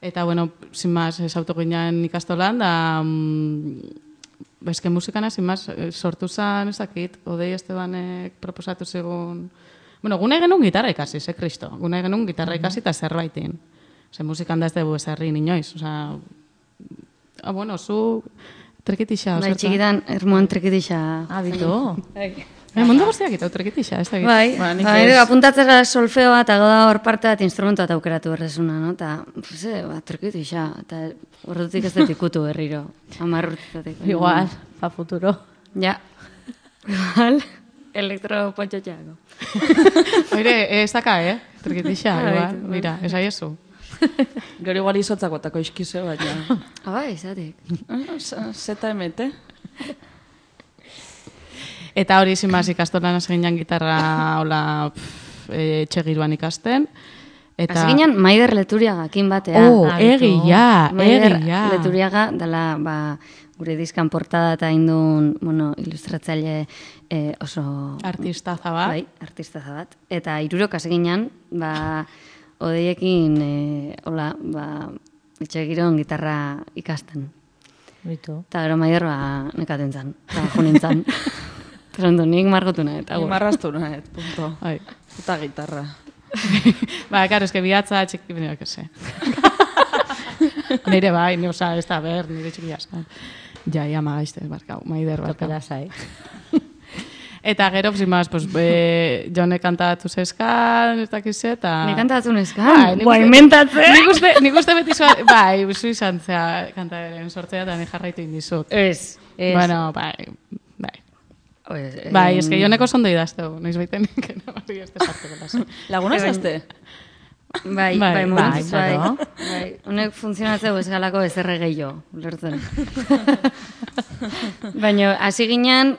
Eta, bueno, sin más, ez auto ginean ikastolan, da... Bezke musikana, sin más, sortu zan, ez dakit, Odei Estebanek proposatu zegoen... Bueno, gune genuen gitarra ikasi, Kristo. Gune genuen gitarra ikasi eta zerbaitin. Ose, musikan da ez dugu ezarri inoiz. Osea, bueno, zu trekitixa, bai, txikitan, ermuan trekitixa. Bitu. Mundu guztiak eta trekitixa, ez dakit. Bai, apuntatzera solfeoa eta goda hor parte bat instrumentua eta aukeratu berrezuna, no? Eta, trekitixa, eta horretutik ez dut ikutu berriro. 10 urtetatik. Igual, pa futuro. Ja. Igual, elektropontxotxeako. Oire, ez daka, trekitixa, igual, mira, ez aiezu. Gero igual izotzako eta koizkize bat, ja. Bai, izatik. Zeta emete. Eta hori zinbaz ikastolan aseginan gitarra hola etxegiruan ikasten. Aseginan Maider Leturiagakin batea. Egia. Maider Leturiaga dela gure diskan portada eta indun, bueno, ilustratzaile oso... Artistaza bat. Bai, artistaza bat. Eta hirurok aseginan, Odeiekin, etxegiron gitarra ikasten. Bitu. Eta gero Maider nekaten zan, eta junintzan. Terondu, nik margotu nahet. Nik marraztu nahet, punto. Eta gitarra. Karo, eske bihatza txiki, bine, que se. Nire bai, oza, ez da ber, nire txiki asko. Ja, magaizte, barkau, Maider, barkau. Topela zai. Eta gero, zimaz, Jone kantatu zeskan, ez dakize, eta... Ni kantatu zeskan? Bai, mentatzen? Nik uste beti zuen, bai, zu izan zea kantaren sortzea, eta ni jarraitu indizut. Ez. Bueno, bai. Bai, ez que Joneko zondo idazteu, noiz baiten nikena, bari ez desarteko. Laguna zazte? Bai, momentuz, bai. Honek funtzionatzeu ez galako ez erregei lertzen. Baina, hasi ginen,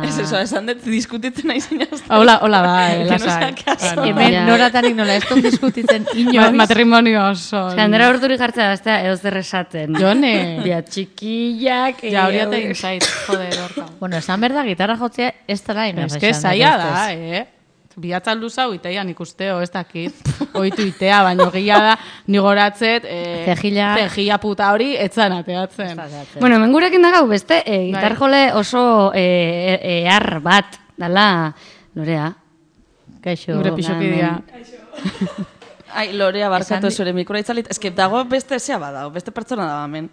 Ez eso, esan dut diskutitzen nahi zinazta. Hola da, lasai. Hemen noratanik nola, ez dut diskutitzen inoiz. Matrimonio oso. Skandera urturi jartzea baztea, edo zer esaten. Jone. Bia txikiak. Ja, hori ata inzait, joder, orka. Bueno, esan berda, gitarra jotzea ez dara ino. Ez que zaila da, Bihatzan luzau iteian ikusteo, ez dakit. Oitu itea, baino gila da, ni goratzet, Cejilla puta hori, etzan ateatzen. Bueno, hemen gurekin dagau beste, gitar jole oso ehar bat, dala Lorea. Kaixo. Gure pixokidea. Ai, Lorea, barkatu Esan zure mikroa itzalit. Ez que dago beste zea badao, beste pertsona da hemen.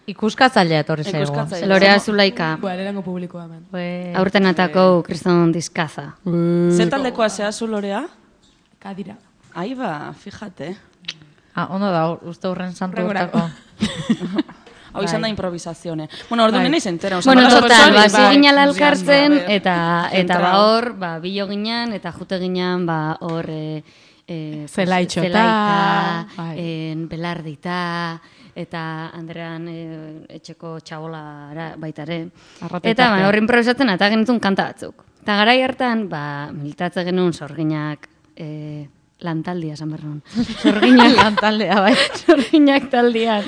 Ikuskatzailea etorri zaigu. Ikuskatzailea. Lorea Zulaika. Erango publikoa hemen. Aurten atako kriston dizkaza. Ze taldekoa zea zu, Lorea? Kadira. Ai ba, fíjate. Ondo da, uste hurren santu urtako. Hau izan da improvisazione. Bueno, ordu nena izentera. Bueno, total, bai, hasi ginala elkartzen, bai. eta ba hor, bilo ginen, eta jute ginen, ba hor, Zelaitxota, bai. Belardita, eta Andrean etxeko txabola baitare. Arrate Eta tartea. hor improvisatzen, eta genitun kanta batzuk. Eta garai hartan, ba, militatze genuen sorginak lantaldia, esan behar nuen. Zorginak lantaldea, bai. Sorginak taldian.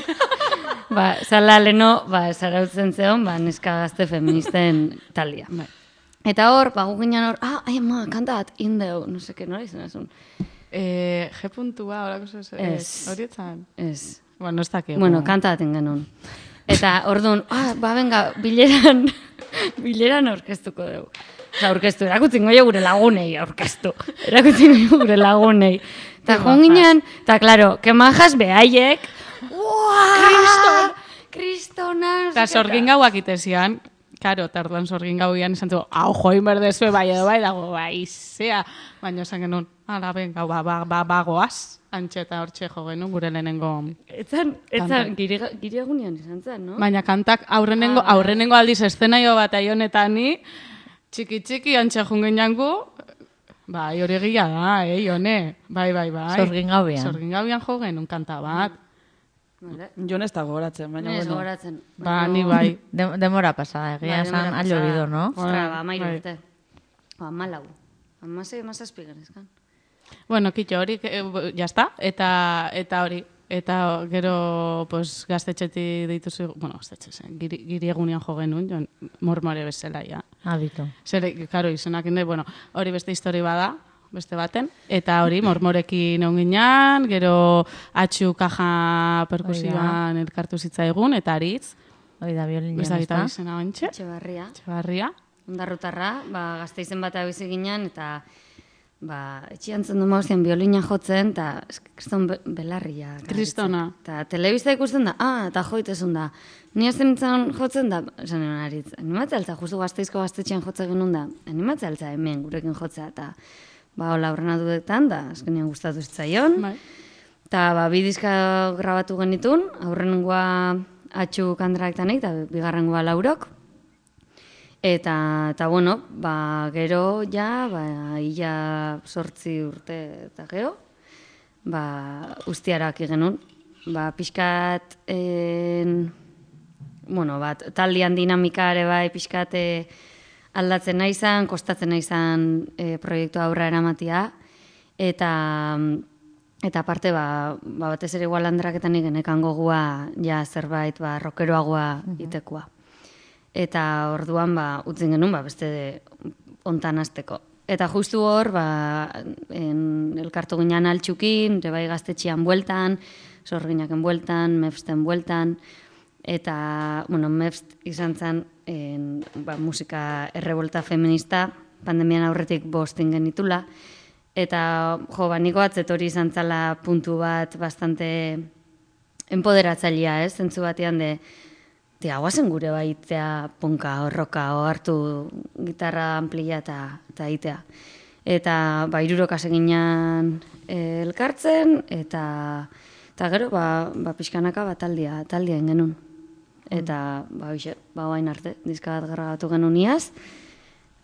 Ba, zala leno, ba, zarautzen zeon, ba, neska gazte feministen taldia. Eta hor, ba, gu ginen hor, ai, ama, kanta bat, indeu, no seke, nola izan azun? G puntua, horako Ez. horietzan. Ez. Bueno, ez dakik. Bueno, kanta bat genuen. Eta orduan, ba, venga, bileran orkestuko dugu. Osa, orkestu, erakutzen goio gure lagunei, orkestu. Erakutzen goio gure lagunei. Eta joan ginen, eta, klaro, kemajas behaiek, kristona, Eta sorgin gauak itezian, karo, tarduan sorgin gauian izan zu, hau join berdezue bai edo bai, dago bai, zea. Baina esan genuen, ala, ben, gau, ba, goaz, antxeta hortxe jo genuen, gure lehenengo. Etzan, gire egunean izan zen, no? Baina kantak aurrenengo aldiz eszenaio bat aionetan ni, txiki antxe jungen jangu, bai, hori egia da, jone, bai. Sorgin gauian. Sorgin gauian jo genuen kanta bat. Jon ez da gogoratzen, baina Ez bueno. gogoratzen. Ba, ni bai. Demora pasada, egia esan demora allo pasada. bido, no? Ostra, ba, amairu Bai. urte. Ba, amalau. Amasei, amazazpi genezkan. Bueno, kitxo hori, jazta, eta hori. Eta gero, pues, gaztetxeti dituzu, bueno, gaztetxe, giri egunean jo genuen, jon, mormore bezala, ja. Abitu. Zer, karo, izenak inde, bueno, hori beste histori bada, beste baten, eta hori, mormorekin onginan, gero atxu kaja perkusioan elkartu zitzaigun, eta aritz, Hoi da, biolina, ez da ezta? izena bantxe, Etxebarria. Txabarria. Ondarrutarra, ba, Gasteizen bat bizi ginen, eta ba, etxian zen duma hostien biolina jotzen, eta kriston belarria. Kristona. Eta telebista ikusten da, eta joitezun da. Ni azten nintzen jotzen da, esan nion aritz, animatzea altza, justu Gasteizko gaztetxean jotze genuen da, animatzea altza hemen gurekin jotzea, eta ba, hola aurrena dudetan, da, azkenean gustatu zitzaion. Bai. Eta ba, bi diska grabatu genitun, aurrenengoa atxu kandraktanik, eta bigarrengoa Laurok. Eta bueno, ba, gero ja, ba, ia 8 urte eta gero, ba, ustiarak genuen. Ba, pixkat, bueno, bat, taldean dinamika ere bai, pixkat aldatzen naizan, kostatzen naizan proiektu aurra eramatia, eta aparte, batez ere igual handraketan genekan gogua, ja zerbait, rockeroagoa itekoa. Eta orduan, utzin genuen, beste ontan azteko. Eta justu hor, elkartu ginean altxukin, bai gaztetxean bueltan, sorginaken bueltan, mefsten bueltan, eta, bueno, mefst izan zen musika errebolta feminista, pandemian aurretik 5 genitula, eta, niko atzet hori izan zala puntu bat bastante empoderatzailea, zentzu batean guazen gure baitea punka, horroka, hartu gitarra amplia eta itea. Eta, hiruroka seginan elkartzen, eta gero, pixkanaka taldean genuen. Eta, oain arte, diska bat grabatu genuen iaz,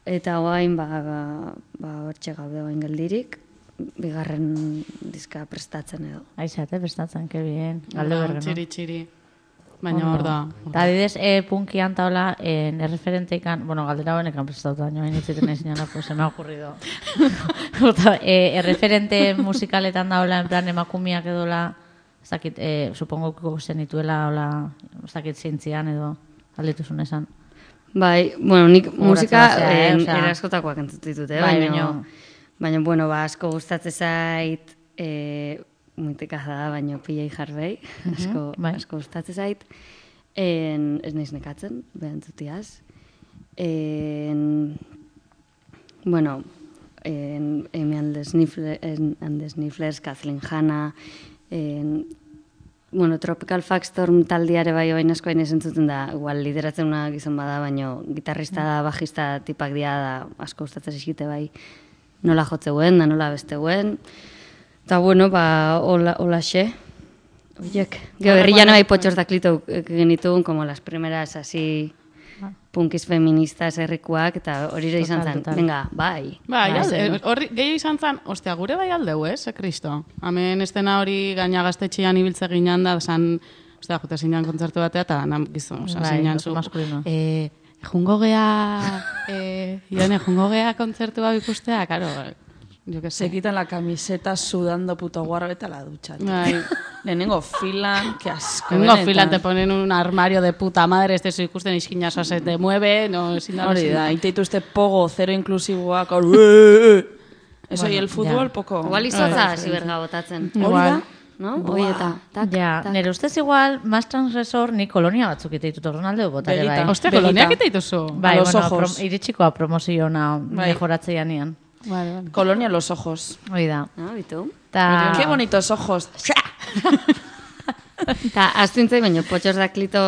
eta oain, hortxe gaude oain geldirik, bigarren diska prestatzen edo. Aizate, prestatzen, que bien. Galde bergeno. Txiri. Baina hor da. Eta adidez, punkian taula, erreferenteikan, bueno, galdera honekan prestatu, baina hain itziten ezin janako, se me ha ocurrido. Erreferente musikaletan daula, en plan, emakumiak edola, ez dakit, supongo zenituela, ez dakit zeintzian edo, aldituzun esan. Bai, bueno, nik musika Horatzea, eraskotakoak entzut ditut, Bai, baina, bueno, asko gustatzen zait, muitikaza da, baina pilei jarbei, bai. asko gustatzen zait. Ez naiz nekatzen, behantzutiaz. Bueno, Amy and the Snifflers, Kathleen Hanna, bueno, Tropical Fuckstorm taldiare bai oain asko hain esentzuten da, igual lideratzen una gizon bada, baina gitarrista da, bajista tipak dia da, asko gustatzen zizkite bai, nola jotzeuen, da nola besteuen. Eta bueno, hola xe. Oiek, gero berrian bai potxos da klito genituen, como las primeras así punkis feministas herrikuak, eta hori ere izan zen, venga, bai. Bai, horri gehiago izan zen, ostia, gure bai aldeu, kristo. Hemen estena hori gaina gaztetxean ibiltze ginean da, zan, ostia, jute zinean kontzertu batea, eta nan gizon, zinean zu. Jungo gea, Ione, jungo gea kontzertu hau ikustea, karo, yo que sé. Se quitan la camiseta sudando puto guarro, vete a la ducha. Bai. Lehenengo filan, que asco. Lehenengo filan te ponen un armario de puta madre, este zu ikusten iskinazo se te mueve, no, sin nada. Hori da, iteitu pogo, zero inklusiboak, eso y el fútbol, poco. Igual izotza hasi berga botatzen. Hori da? No? Hoi eta, tak, Ja, nire ustez igual, más transgresor, ni kolonia batzuk iteitut Ronaldo botare bai. Ostia, koloniak iteituzu. Bai, A los bueno, ojos. iritsikoa promoziona mejoratzea nian. Vale. Colonia a los ojos. Hoi da. Bitu. Qué bonitos ojos. Eta astuntzei, baina potxos da klito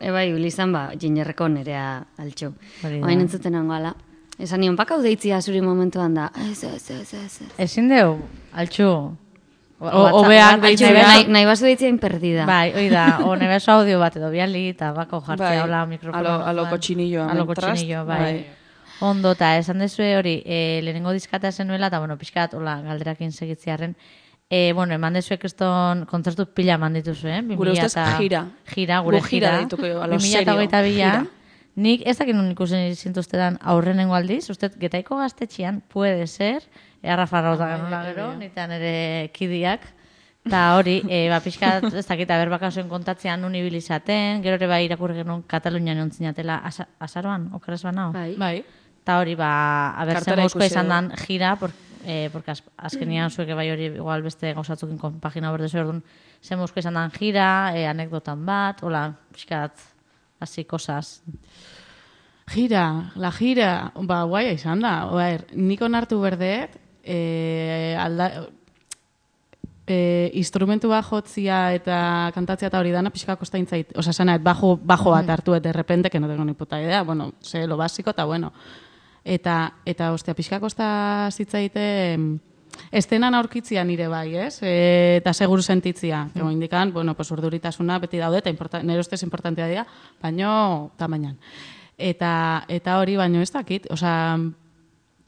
ebai bilizan, gingerreko nerea altxo. Hori da. Oain entzuten ala. Esan nion, bakau deitzia zuri momentuan da. Ez. Ezin deu, altxu. Obeak deitzea. Nahi bazu deitzia inperdida. Bai, hoi da, o nebeso audio bat edo biali, eta bako jartzea hola mikrofono. A lo cochinillo. A lo cochinillo, bai. Ondo, eta esan dezue hori, lehenengo diskata zenuela, eta bueno, pixkat, hola, galderakin segitziarren, bueno, eman dezuek eston kontzertu pila eman dituzu, Gure ustez gira. Gira, gure gira. Dituko, a lo serio. 2022 nik ez dakit nun ikusen zintuztetan aurrenengo aldiz, uste Getaiko gaztetxean, puede ser, Rafa Rauta ganula gero, nitan ere kidiak, eta hori, pixkat, ez dakit, berbakasoen kontatzean nun ibilizaten, gero ere bai irakurri genuen Katalunian ontzinatela azaroan, okeraz banao? Bai. Eta hori, abertzen guzkoa izan dan gira, porque azkenian zueke bai hori igual beste gauzatzukin pagina berdezu erdun, zen guzkoa izan dan gira, anekdotan bat, hola, pixkat, así cosas. La gira, guaia izan da. Nik onartu berdeet, instrumentu bat jotzia eta kantatzia eta hori dana pixka kostaین zait. Osa, zanaet, bajo bat hartu eta de repente, que no tengo ni puta idea, bueno, sé lo básico, eta bueno. Eta ostia, pixka kosta zitzaite estenan aurkitzia nire bai, ez? Eta seguru sentitzia. Ego indikan, bueno, pues urduritasuna beti daude, eta nire ustez importantea dira, baino tamainan. Eta hori, baino ez dakit, osa,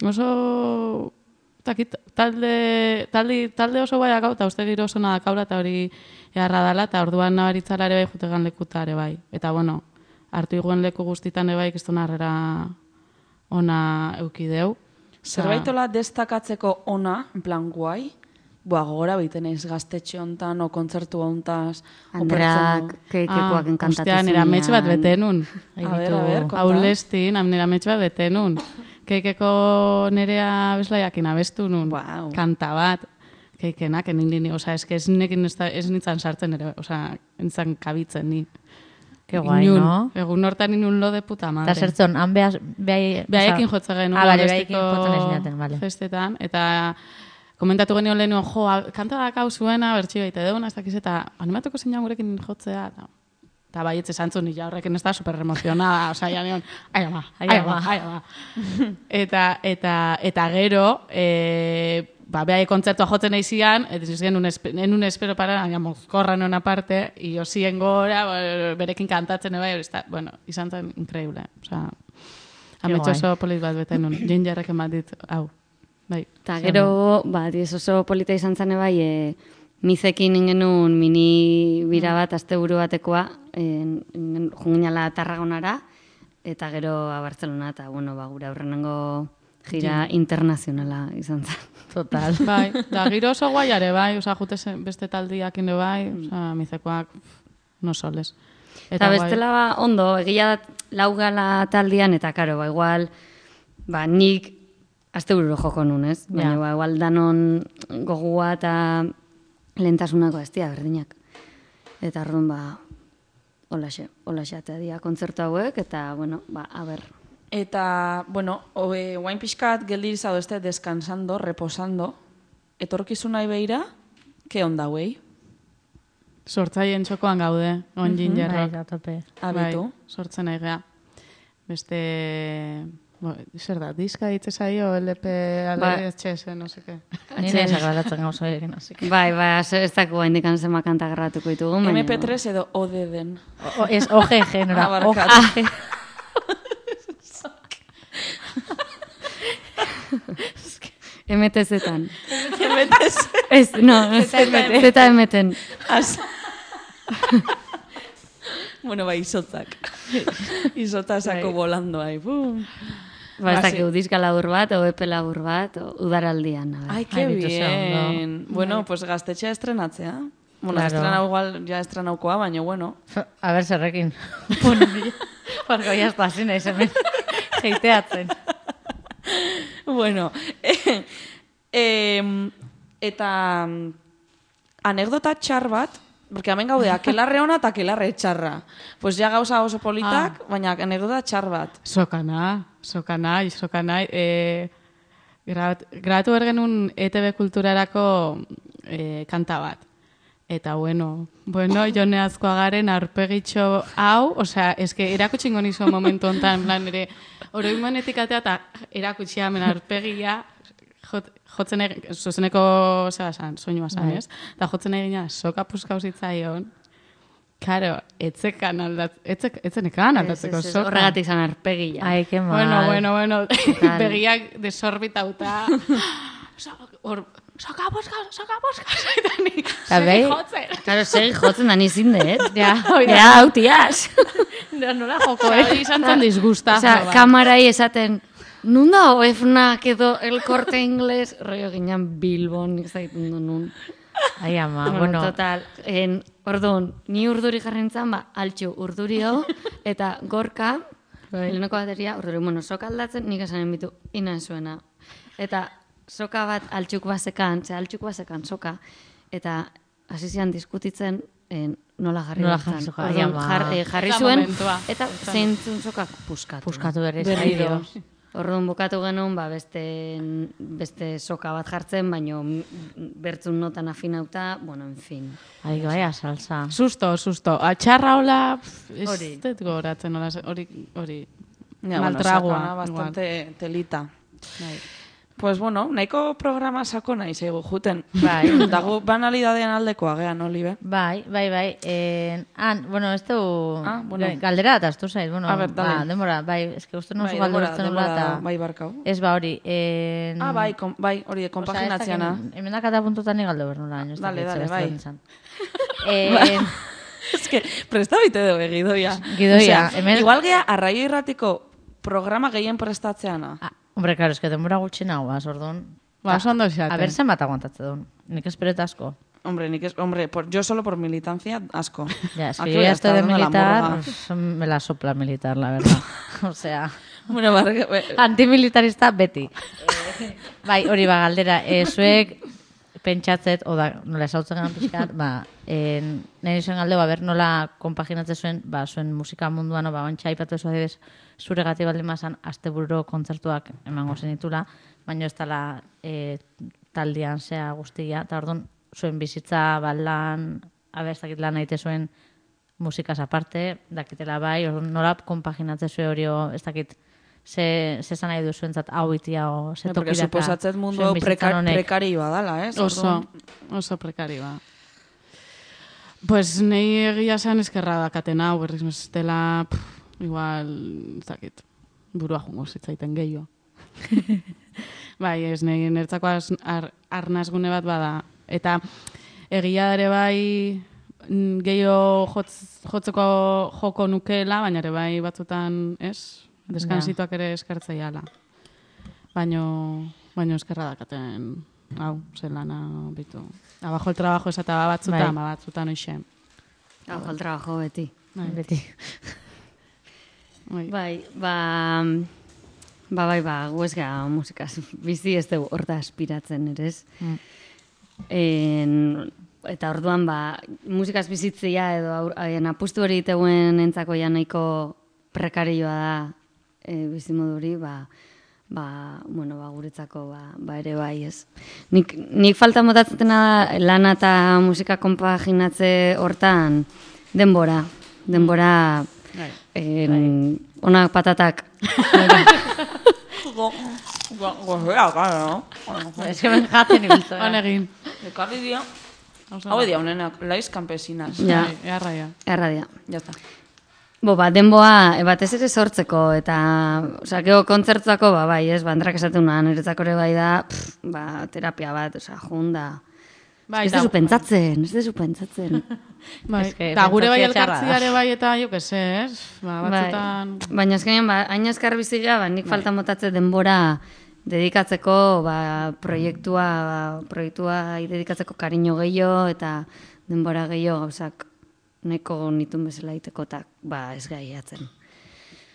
oso, dakit, talde oso baiak hau, eta uste giro oso nadakaura, eta hori eharra dala, eta orduan nabaritzala ere bai, jutegan lekuta ere bai. Eta, bueno, hartu iguen leku guztitan ere bai, kiston harrera ona eukideu. Zerbaitola destakatzeko ona, en plan guai, gogora biten ez gaztetxe hontan, o kontzertu hontaz, Andrak, keikekoak enkantatu Ostia, nera metx bat betenun. A ver, konta. Aulestin, nera metx bat betenun. Keikeko nerea bezlaiakin abestu nun. Wow. Kanta bat. Keikenak, oza, ez nintzen sartzen ere, oza, nintzen kabitzen ni. Qué guai, no? Egun hortan inun lo de puta madre. Eta zertzen, han behaiekin jotza genuen. Behaiekin jotzen esinaten, vale. Festetan, eta komentatu genioen lehenu, kanta dakau zuena, bertxio baite deuna, ez dakiz, eta animatuko zeinan gurekin jotzea, eta baietze zantzun, nila horrekin ez da super emozionada, oza, ya nion, ai ama. Eta gero, behaie kontzertua jotzen eizian, eta izan, en un espero para, mozkorra non aparte, y osien gora, berekin kantatzen eba, bueno, izan zen increíble, oza, ametxo oso polit bat beten nun, gingerreken bat dit, hau. Bai. Eta gero, oso polita izan zen bai, mizekin ingenun mini bira bat, asteburu batekoa, junginala Tarragonara, eta gero a Barcelona, eta bueno, gure aurrenengo gira internazionala izan zen. Total. Bai, da giro oso guaiare, bai, oza, jute beste taldiak ino bai, oza, mizekoak no soles. Eta bestela ondo, egia laugala taldian, eta karo, igual, nik asteburu joko nun, ez? Baina, igual danon gogua eta lehentasunako ez dira berdinak. Eta orduan, holaxe atea dira kontzertu hauek, eta, bueno, aber. Eta, bueno, guain pixkat geldir izado este descansando, reposando, etorkizunai beira, ke onda huei? Sortzaien txokoan gaude, on gingerrok. Bai, tope. Abitu. Sortzen nahi gea. Beste... zer da, diska ditze zaio, LP, HS, no seke. Ni nahi sakalatzen gauza egin, así que... Bai, ez dago indikan zema kanta grabatuko ditugu. MP3 edo ODD-en. Ez OGG, nora. Abarkatu. MTZ-tan. Ez, no, ZMT-en. Bueno, izotzak. Izotza sako volando ahí. Bum. Ez dakigu diska labur bat, o EP labur bat, o udaraldian. Ai, que bien. Bueno, pues gaztetxea estrenatzea. Bueno, estrenau igual, ja estrenaukoa, baina bueno. A ver, zerrekin. Porque ya está, sin nahi hemen. Heiteatzen. Bueno, eta anekdota txar bat, porque hemen gaude, akelarre ona eta akelarre txarra. Pues ja gauza oso politak, baina anekdota txar bat. Sokana. Grabatu bergenun ETV kulturarako kanta bat. Eta bueno, Jone Azkoagaren aurpegitxo hau, osea, eske erakutsingo nizu momentu hontan, plan ere, oroimanetik atea eta erakutsi hemen aurpegia, jotzen egin, zuzeneko, zera san, soinua san, ez? Eta jotzen egin, soka puskau zitzaion, karo, etzenekan aldatzeko soka. Horregatik zan aurpegia. Ai, que mal. Bueno, begiak desorbitauta, soka puskau, eta ni segi jotzen. Claro, segi jotzen da nizin dut. Ja, hau tiaz. Nola joko, Hori izan zen disgusta. Osea, kamarai esaten, nun da OEFNAK edo El Corte Inglés, rollo ginean Bilbon, nik zaitun du nun. Ai, ama, Bueno, total, orduan, ni urduri jarrentzan, altxu urdurio, eta gorka, lehenoko bateria, urduri, bueno, soka aldatzen, nik esanen bitu, inan zuena. Eta soka bat altxuk basekan, soka, eta hasi zian diskutitzen, nola jarri soka, jarri zuen, eta zeintzun sokak puskatu. Puskatu berriz. Orduan bukatu genuen, beste soka bat jartzen, baino bertzun notan afinauta, bueno, en fin. Ai, baia, salsa. Susto. Atxarra hola, ez dut goratzen, hori maltragua. Sakona, bastante telita. Pues bueno, nahiko programa sakona izaigu juten. Bai. Dago banalidadean aldekoa, gean, Olibe. Bai. Bueno, ez du... bueno. Galdera eta astu zait. Bueno, A ber, dale. Denbora, uste uste nuzu galderatzen nula eta... Bai, barkau. Ez hori. Bai, hori, konpaginatzeana. Hemen dakata puntutan igaldo bernula. Dale, bai. Ez que, presta bite dugu gidoia. Gidoia. Igual gea, arraio irratiko programa gehien prestatzeana. Hombre, claro, es que denbora gutxi nahu, orduan... Oso ondo xaten. A ver, zenbat aguantatze duen. Nik esperet asko. Hombre, yo solo por militancia, asco. Ya, es que yo ya estoy de militar, me la sopla militar, la verdad. O sea... Bueno, antimilitarista beti. Bai, hori galdera. Zuek pentsatzet, nola esautzen gana pixkat, nahi zuen galdeu, nola konpaginatze zuen, zuen musika munduan, bantxa ipatu ez adibes, zure gati baldin mazan, astebururo kontzertuak emango zenitula, baina ez dela taldean zea guztia, eta orduan, zuen bizitza, lan, ez dakit lan naite zuen musikaz aparte, dakitela bai, nola konpaginatze zuen hori, ez dakit, ze zan nahi duzuentzat hau itia o ze tokidaka. Porque suposatzet mundu hau prekarioa dala, ez? Oso prekarioa. Pues nahi egia zen eskerra dakatena, berriz meztela, igual, ez dakit, burua jungo zitzaiten gehiago. Bai, ez nahi nertzako arnazgune bat bada. Eta egia ere bai gehiago jotzeko joko nukeela, baina ere bai batzutan, ez? Deskansituak ere eskertzeiala. Baino eskerra dakaten, hau, zelana bitu. Abajo el trabajo esata batzutan, batzutan oixe. Abajo el trabajo beti. Beti. Bai, guezga musikaz. Bizi ez dugu horta aspiratzen, ere ez? eta orduan, musikaz bizitzia edo apustu hori iteuen entzako ja nahiko prekarioa da bizimoduri, guretzako ere bai, ez. Nik falta motatzena da lana eta musika konpaginatze hortan denbora, onak patatak. Gozea, claro. Ez que ben jaten ibiltzen. Honegin. Ekarri dia. Hau dia, honenak, laiz campesinas. Ja, Erraia. erradia. Ya está. Denboa, batez ere sortzeko, eta, gero kontzertuako, bai, ez, bandrak esatuna, niretzako ere bai da, terapia bat, junda. Ez dezu pentsatzen. Bai, Eske, eta gure bai pentsazio txarra da. elkartziare bai eta jo que se, ez? Batzutan... Baina azkenean, hain azkar bizila, nik falta motatze denbora dedikatzeko, proiektua dedikatzeko kariño gehiago, eta denbora gehiago gauzak neko nitun bezala iteko, eta ez gaiatzen.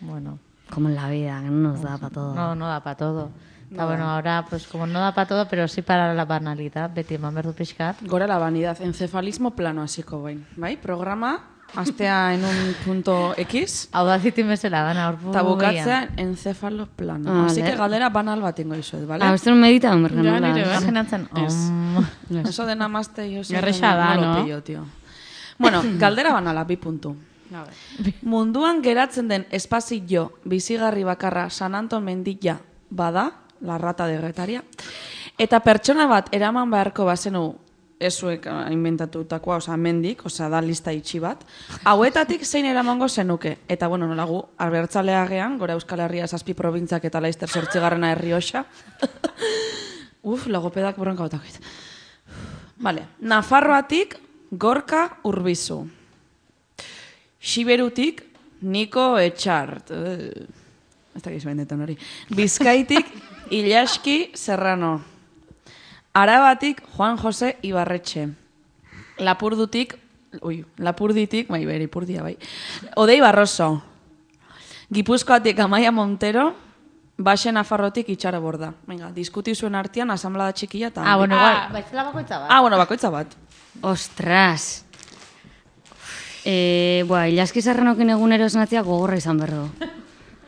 Bueno. Como en la vida, que no nos da para todo. No da para todo. Está bueno, ahora, pues como no da para todo, pero sí para la banalidad, beti eman berdu pixkat. Gora la vanidad, encefalismo plano hasiko bain. Bai, programa, astea en un punto X, Hau da zitin bezala, bana, orbu eta bukatzea encefalo plano. Ah, Así vale. que galdera banal bat ingo izuet, vale? Beste un medita, hombre, Ja, nola. nire, Imaginatzen, Eso de namaste yo sé. Erresa da, lo no? pillo, tío. Bueno, galdera banala, 2 puntu. Munduan geratzen den espazio bizigarri bakarra San Anton mendila bada, la rata de Getaria, eta pertsona bat eraman beharko bazenu ezuek inventatutakoa, mendik, da lista itxi bat, hauetatik zein eramango zenuke. Eta, bueno, nolagu, abertzaleagean, gora Euskal Herria 7 probintzak eta Laister 8. Errioxa. Logopedak bronka botakit. Vale, Nafarroatik Gorka Urbizu. Xiberutik Niko Etxart. Ez da gizbendetan hori. Bizkaitik Ilaski Serrano. Arabatik Juan Jose Ibarretxe. Lapurditik, Odei Barroso. Gipuzkoatik Amaia Montero. Baxe Nafarrotik Itxaro Borda. Venga, diskuti zuen artean asamblada txikia eta... bueno, igual, baitzela bakoitza bat. bueno, bakoitza bat. Ostras! Ilaski Serranokin egunero esnatzia gogorra izan berro.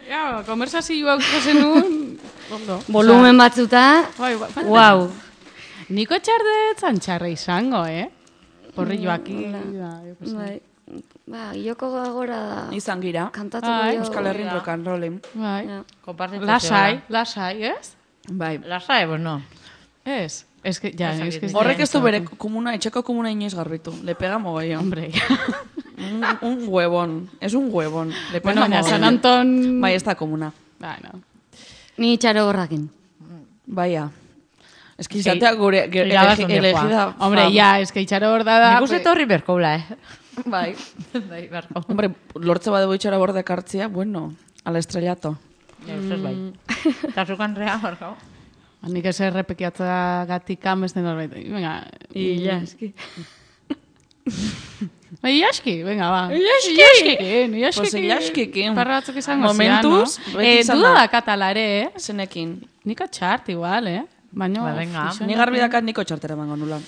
Ja, konversazioa zenun... Volumen batzuta, wow. Niko txardetzan txarra izango, Porri joaki... Ioko gagora da. Izan gira. Kantatu Euskal Herrin rock and rollen. Bai. Konpartitzen Lasai, ez? Bai. Lasai, bueno. Ez. Es que, ja, es que... Horrek ez du bere komuna, etxeko komuna inoiz garbitu. Le pega mogollon. Hombre. Un huevón. Es un huevón. Le pega Bueno, baina San mogollon. Anton... Bai, ez da komuna. Bueno. Ni Itxaro Borrakin. Baia. Ez que izatea gure Irabaz onde elegida... Hombre, ja, es que itxaro hor da... Nik uste horri berkoula, Bai. Bai, berko. Hombre, lortze badego itxara borde kartzia, bueno, al estrellato. Ja, ustez bai. Eta zukan rea, berko. Nik ez errepekiatza gatika beste norbait. Venga. Ilaski. Ilaski, venga, ba. Ilaskikin. Pues Ilaskikin. Parra batzuk izango Momentuz, zian, no? beti izan Duda da. da katalare, Zenekin. Niko txart, igual, Baina... Ba, venga. Ni garbi dakat niko txartera mango nula.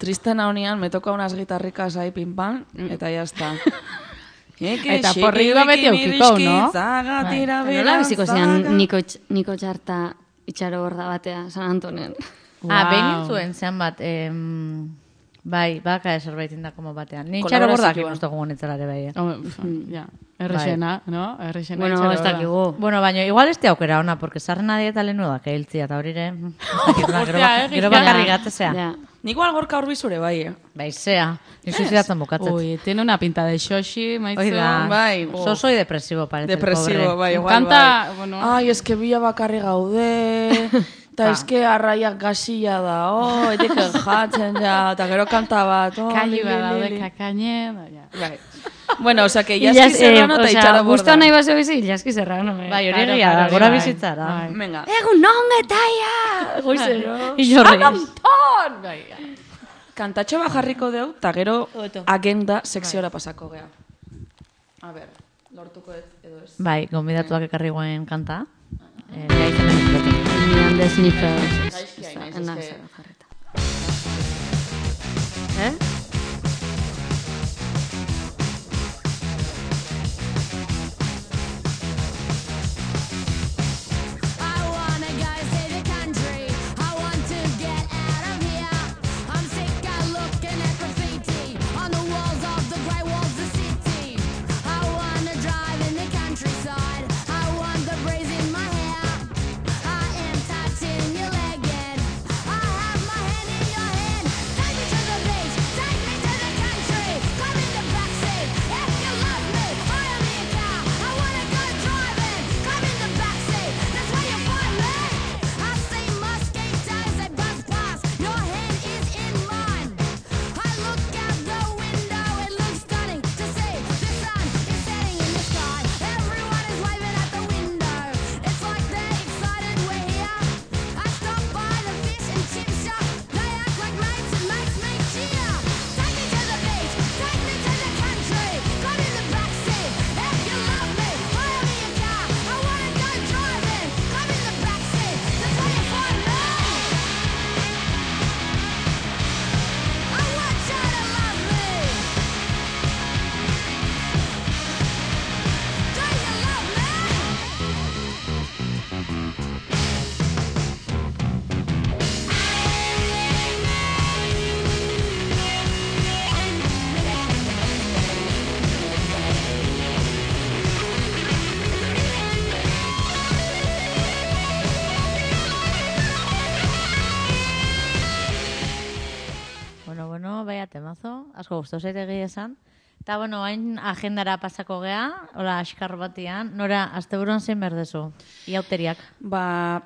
Tristena honian, me toca unas guitarricas ahí pim pam, eta ya está. Eta porriba beti aukiko, no? Nola biziko zian Niko Txarta Itxaro Borda batea San Antonen. Behin zuen zean bat, bai, baka zerbait indako batean. Ni txaro Kolaborazioa. bordak ikustu gonetzelare bai, Ja, errexena, no? Errexena Bueno, itxaro ez da. dakigu. Bueno, baina igual ez te aukera ona, porque sarrena dieta lehenu da, que hiltzia, eta horire... Hostia, Gero bakarri gatzea. Ja. Niko algorka urbizure, bai, Bai, zea. Ni suizidatzen bukatzen. Uy, tiene una pinta de xoxi, maitzu. Hoi da. Bai. Soso y depresivo, parece Depresivo, el pobre. bai, igual, Kanta, bai. bueno... Ai, eske bila bakarri gaude, eta eske arraiak gasilla da, eteke jatzen ja, eta gero kanta bat, Kalli badaude kakaine, ja. Bai. Bueno, osea, que Ilaski Serrano eta Itxaro Borda. Guztua nahi bazo bizi, Ilaski Serrano. Bai, hori Claro, egia da, claro, gora bai. bizitzara. Bai. Venga. Egun non getaia! Goizero. Inorriz. Kantatxo bat jarriko deu, eta gero agenda sekziora pasako gea. A ber, lortuko ez, edo ez. Bai, gonbidatuak ekarri guen kanta. Ja izan Miran de sniffers. Gaizkia inaiz, Ena, eske. jarreta. Baia temazo, asko gustau zaitegi esan. Eta, bueno, hain agendara pasako gea, hola, askar batian, nora, asteburuan zein berdezu, iauteriak.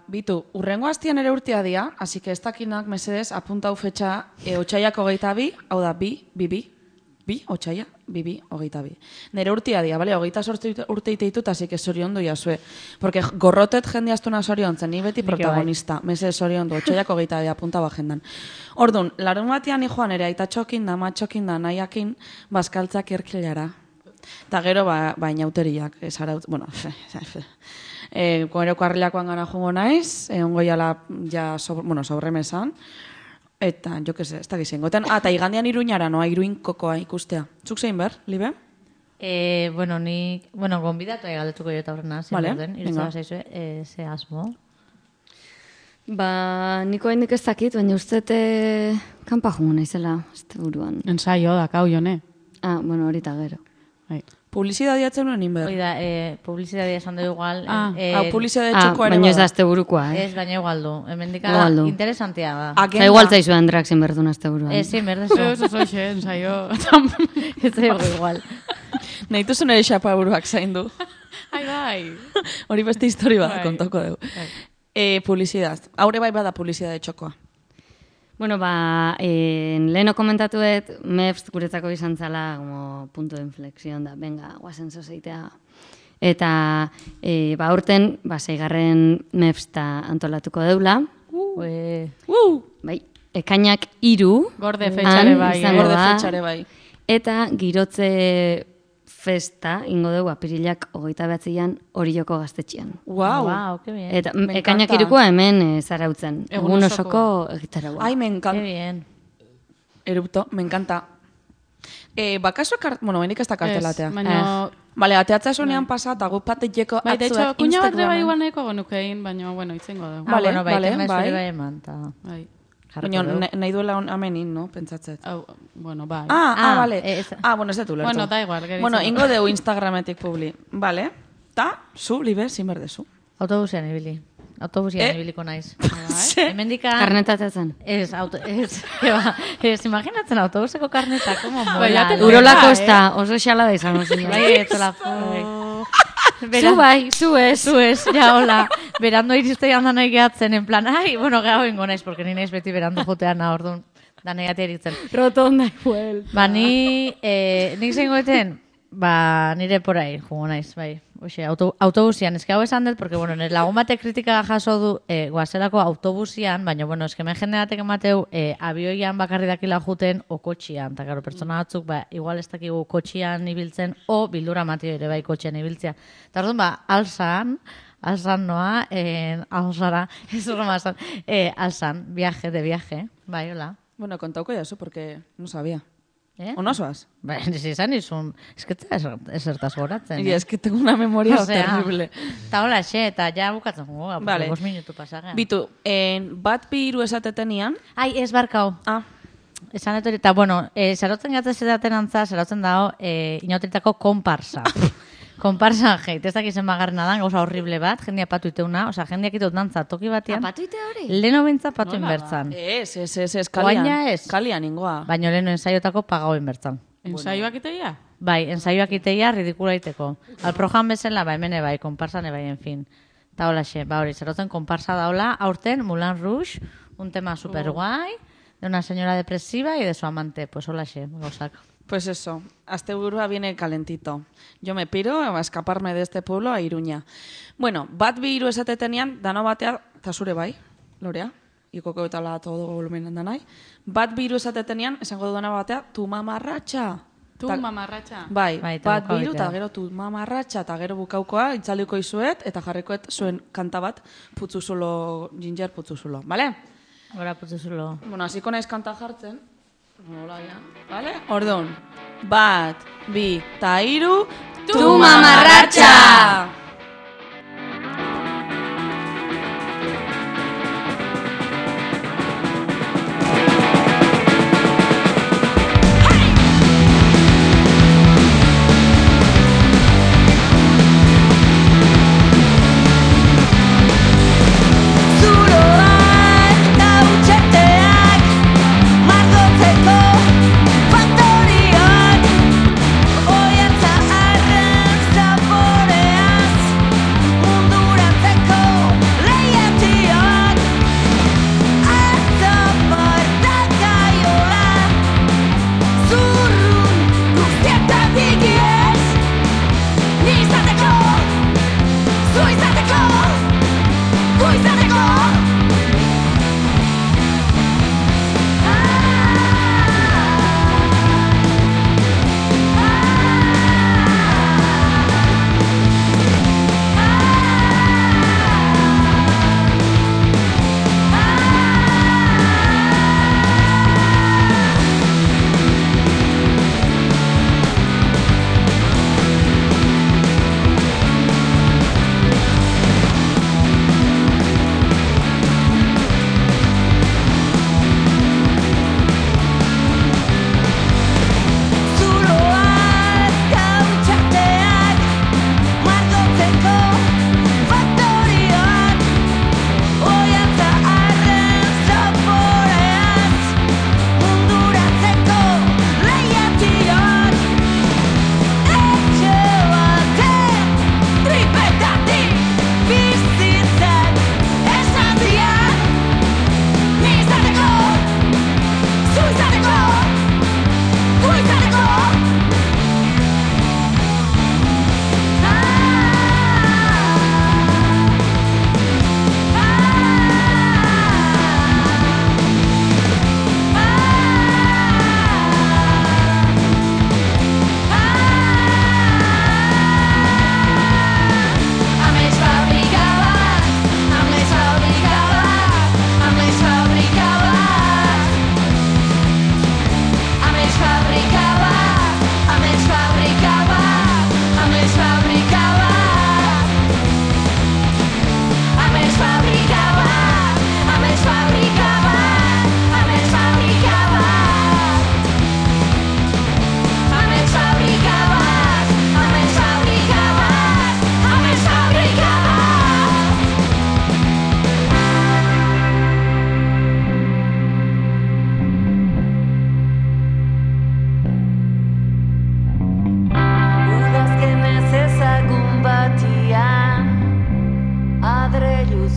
Bitu, urrengo hastian ere urtea dia, así que ez dakinak mesedez, apuntau fetxa, otxaiak 22, hau da, otxaia, 22. Nere urtea dia, bale, 28 urte iteitut, así que soriondu jasue. Porque gorrotet jende astuna soriontzen, ni beti protagonista, mesedez soriondu, otxaiak 22 apunta agendan. Orduan, larun batean joan ere aitatxokin da, matxokin da, nahiakin, bazkaltzak erkilara. Eta gero, inauteriak, bueno, gero karrilakoan gana jungo naiz, ongo jala, sobremesan, eta, jo que se, ez da gizengo. Eta igandean Iruñara, noa, Iruin kokoa ikustea. Zuk zein ber, Libe? Gonbidatu galdetuko jo eta horrena, irutzea zaizue, ze asmo. Niko haindik ez dakit, baina ustete kanpa jungo naizela, este buruan. Ensaio da, kau jone. Bueno, horita gero. Publizidadia atzen nuen inber. Oida, publizidadia esan dugu igual. Publizidadia txoko ere baina ez da azte burukoa, Ez, baina igual du. Hemendika interesantia da. Igual zaizu Andrak zin berdun azte buruan. Zin berdezu. Ez oixe, ensaio. Ez zaigu igual. Nahitu zuen ere xapa buruak zaindu. Bai. Hori beste histori bat kontoko dugu. Publizidad. Haure bai bada publizidade txokoa. Bueno, leheno komentatuet, MEFS guretzako izan zala como punto de inflexión da, venga, guazen zozeitea. Eta, urten, 6. MEFS ta antolatuko deula. Bai, ekainak 3. Gorde fetxare bai. Eta girotze festa, ingo dugu, apirilak 29an Orioko gaztetxean. Wow, que bien. Eta ekainak 3koa hemen zarautzen. Egun osoko egitaragoa. Ai, me encanta. Que bien. Erupto, me encanta. Bakaso, benik ez da kartelatea. Baina... Bale, ateatza esonean pasat, agu pateteko atzuak. De hecho, kuña bat bai igual nahiko gonukein, baina, itzengo dugu. Bai, eman, eta... Baina nahi duela amenin, no? Pentsatzet. Bueno, bai. Bale. Bueno, ez detu lertu. Bueno, da igual. Bueno, ingo deu Instagrametik publi. Bale. Ta, zu, Libe, zin berdezu. Autobusian ibili. Autobusian ibiliko naiz. Hemendika... Karnetatzen. Ez, imaginatzen autobuseko karneta, como mola. Urolako ez da, oso xala da izan. Bai, etzola. Zu bai, zu ez. Ja, hola. Berando iristeian da nahi gehatzen, en plan, bueno, gehago ingo naiz, porque ni naiz beti berando jotean orduan, da nahi gati eritzen. Rotonda igual. Nik zengoeten, nire porai, jungo naiz, bai. Oxe, autobusian, eske hau esan dut, porque, bueno, nire lagun batek kritika jaso du guazelako autobusian, baina, bueno, eske men jende batek emateu abioian bakarri dakila juten o kotxian, eta gero, pertsona batzuk, igual ez dakigu kotxian ibiltzen, o bildura matio ere bai kotxian ibiltzea. Eta orduan, alzan noa, alzara, ez horrema alzan, viaje, bai, hola. Bueno, contauko jazu, porque no sabía. ¿Eh? ¿O no soas? Ba, izan izun, esertaz goratzen. Y es que tengo una memoria terrible. Eta hola, eta ja bukatzen goga, Vale. 5 minutu pasagean. Bitu, bat bi hiru esatetenian. Ai, ez barkau. Esan etori, eta bueno, zarotzen gatzez edaten antza, zarotzen dago, inauteritako komparsa. Komparsa, ez dakizen bagarrena dan, gauza horrible bat, jendia patu iteuna, oza, jendiak itut dantza toki batean. Patu ite hori? Leno bintza patu inbertzan. Ez, Oaina ez. Kalian ingoa. Baina leno ensaiotako pagau inbertzan. Ensaioak iteia? Bai, ensaiuak iteia ridikula iteko. Alprojan bezala, ba, hemen bai, komparsan bai, en fin. Ta hola xe, ba hori, zerotzen komparsa daola, aurten Moulin Rouge, un tema super guai, de una señora depresiva y de su amante, pues hola xe, gauzak. Pues eso, asteburua viene calentito. Yo me piro a escaparme de este pueblo a Iruña. Bueno, bat bi hiru esatetenian, dano batea, eta zure bai, Lorea, ikoko eta la todo volumen da nahi. Bat bi hiru esatetenian, esango dudana batea, tu mamarratxa. Tu mamarratxa. Bai, Bai, eta bat bukau bi hiru, eta egitea. gero tu mamarratxa, eta gero bukaukoa, itzalduko izuet, eta jarrikoet zuen kanta bat, putzuzulo, ginger putzuzulo, bale? Gora putzu zulo. Bueno, hasiko naiz kanta jartzen. Hola, ja. Vale? Ordon. Bat, bi, ta hiru. Tu mamarratxa!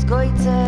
Goitzen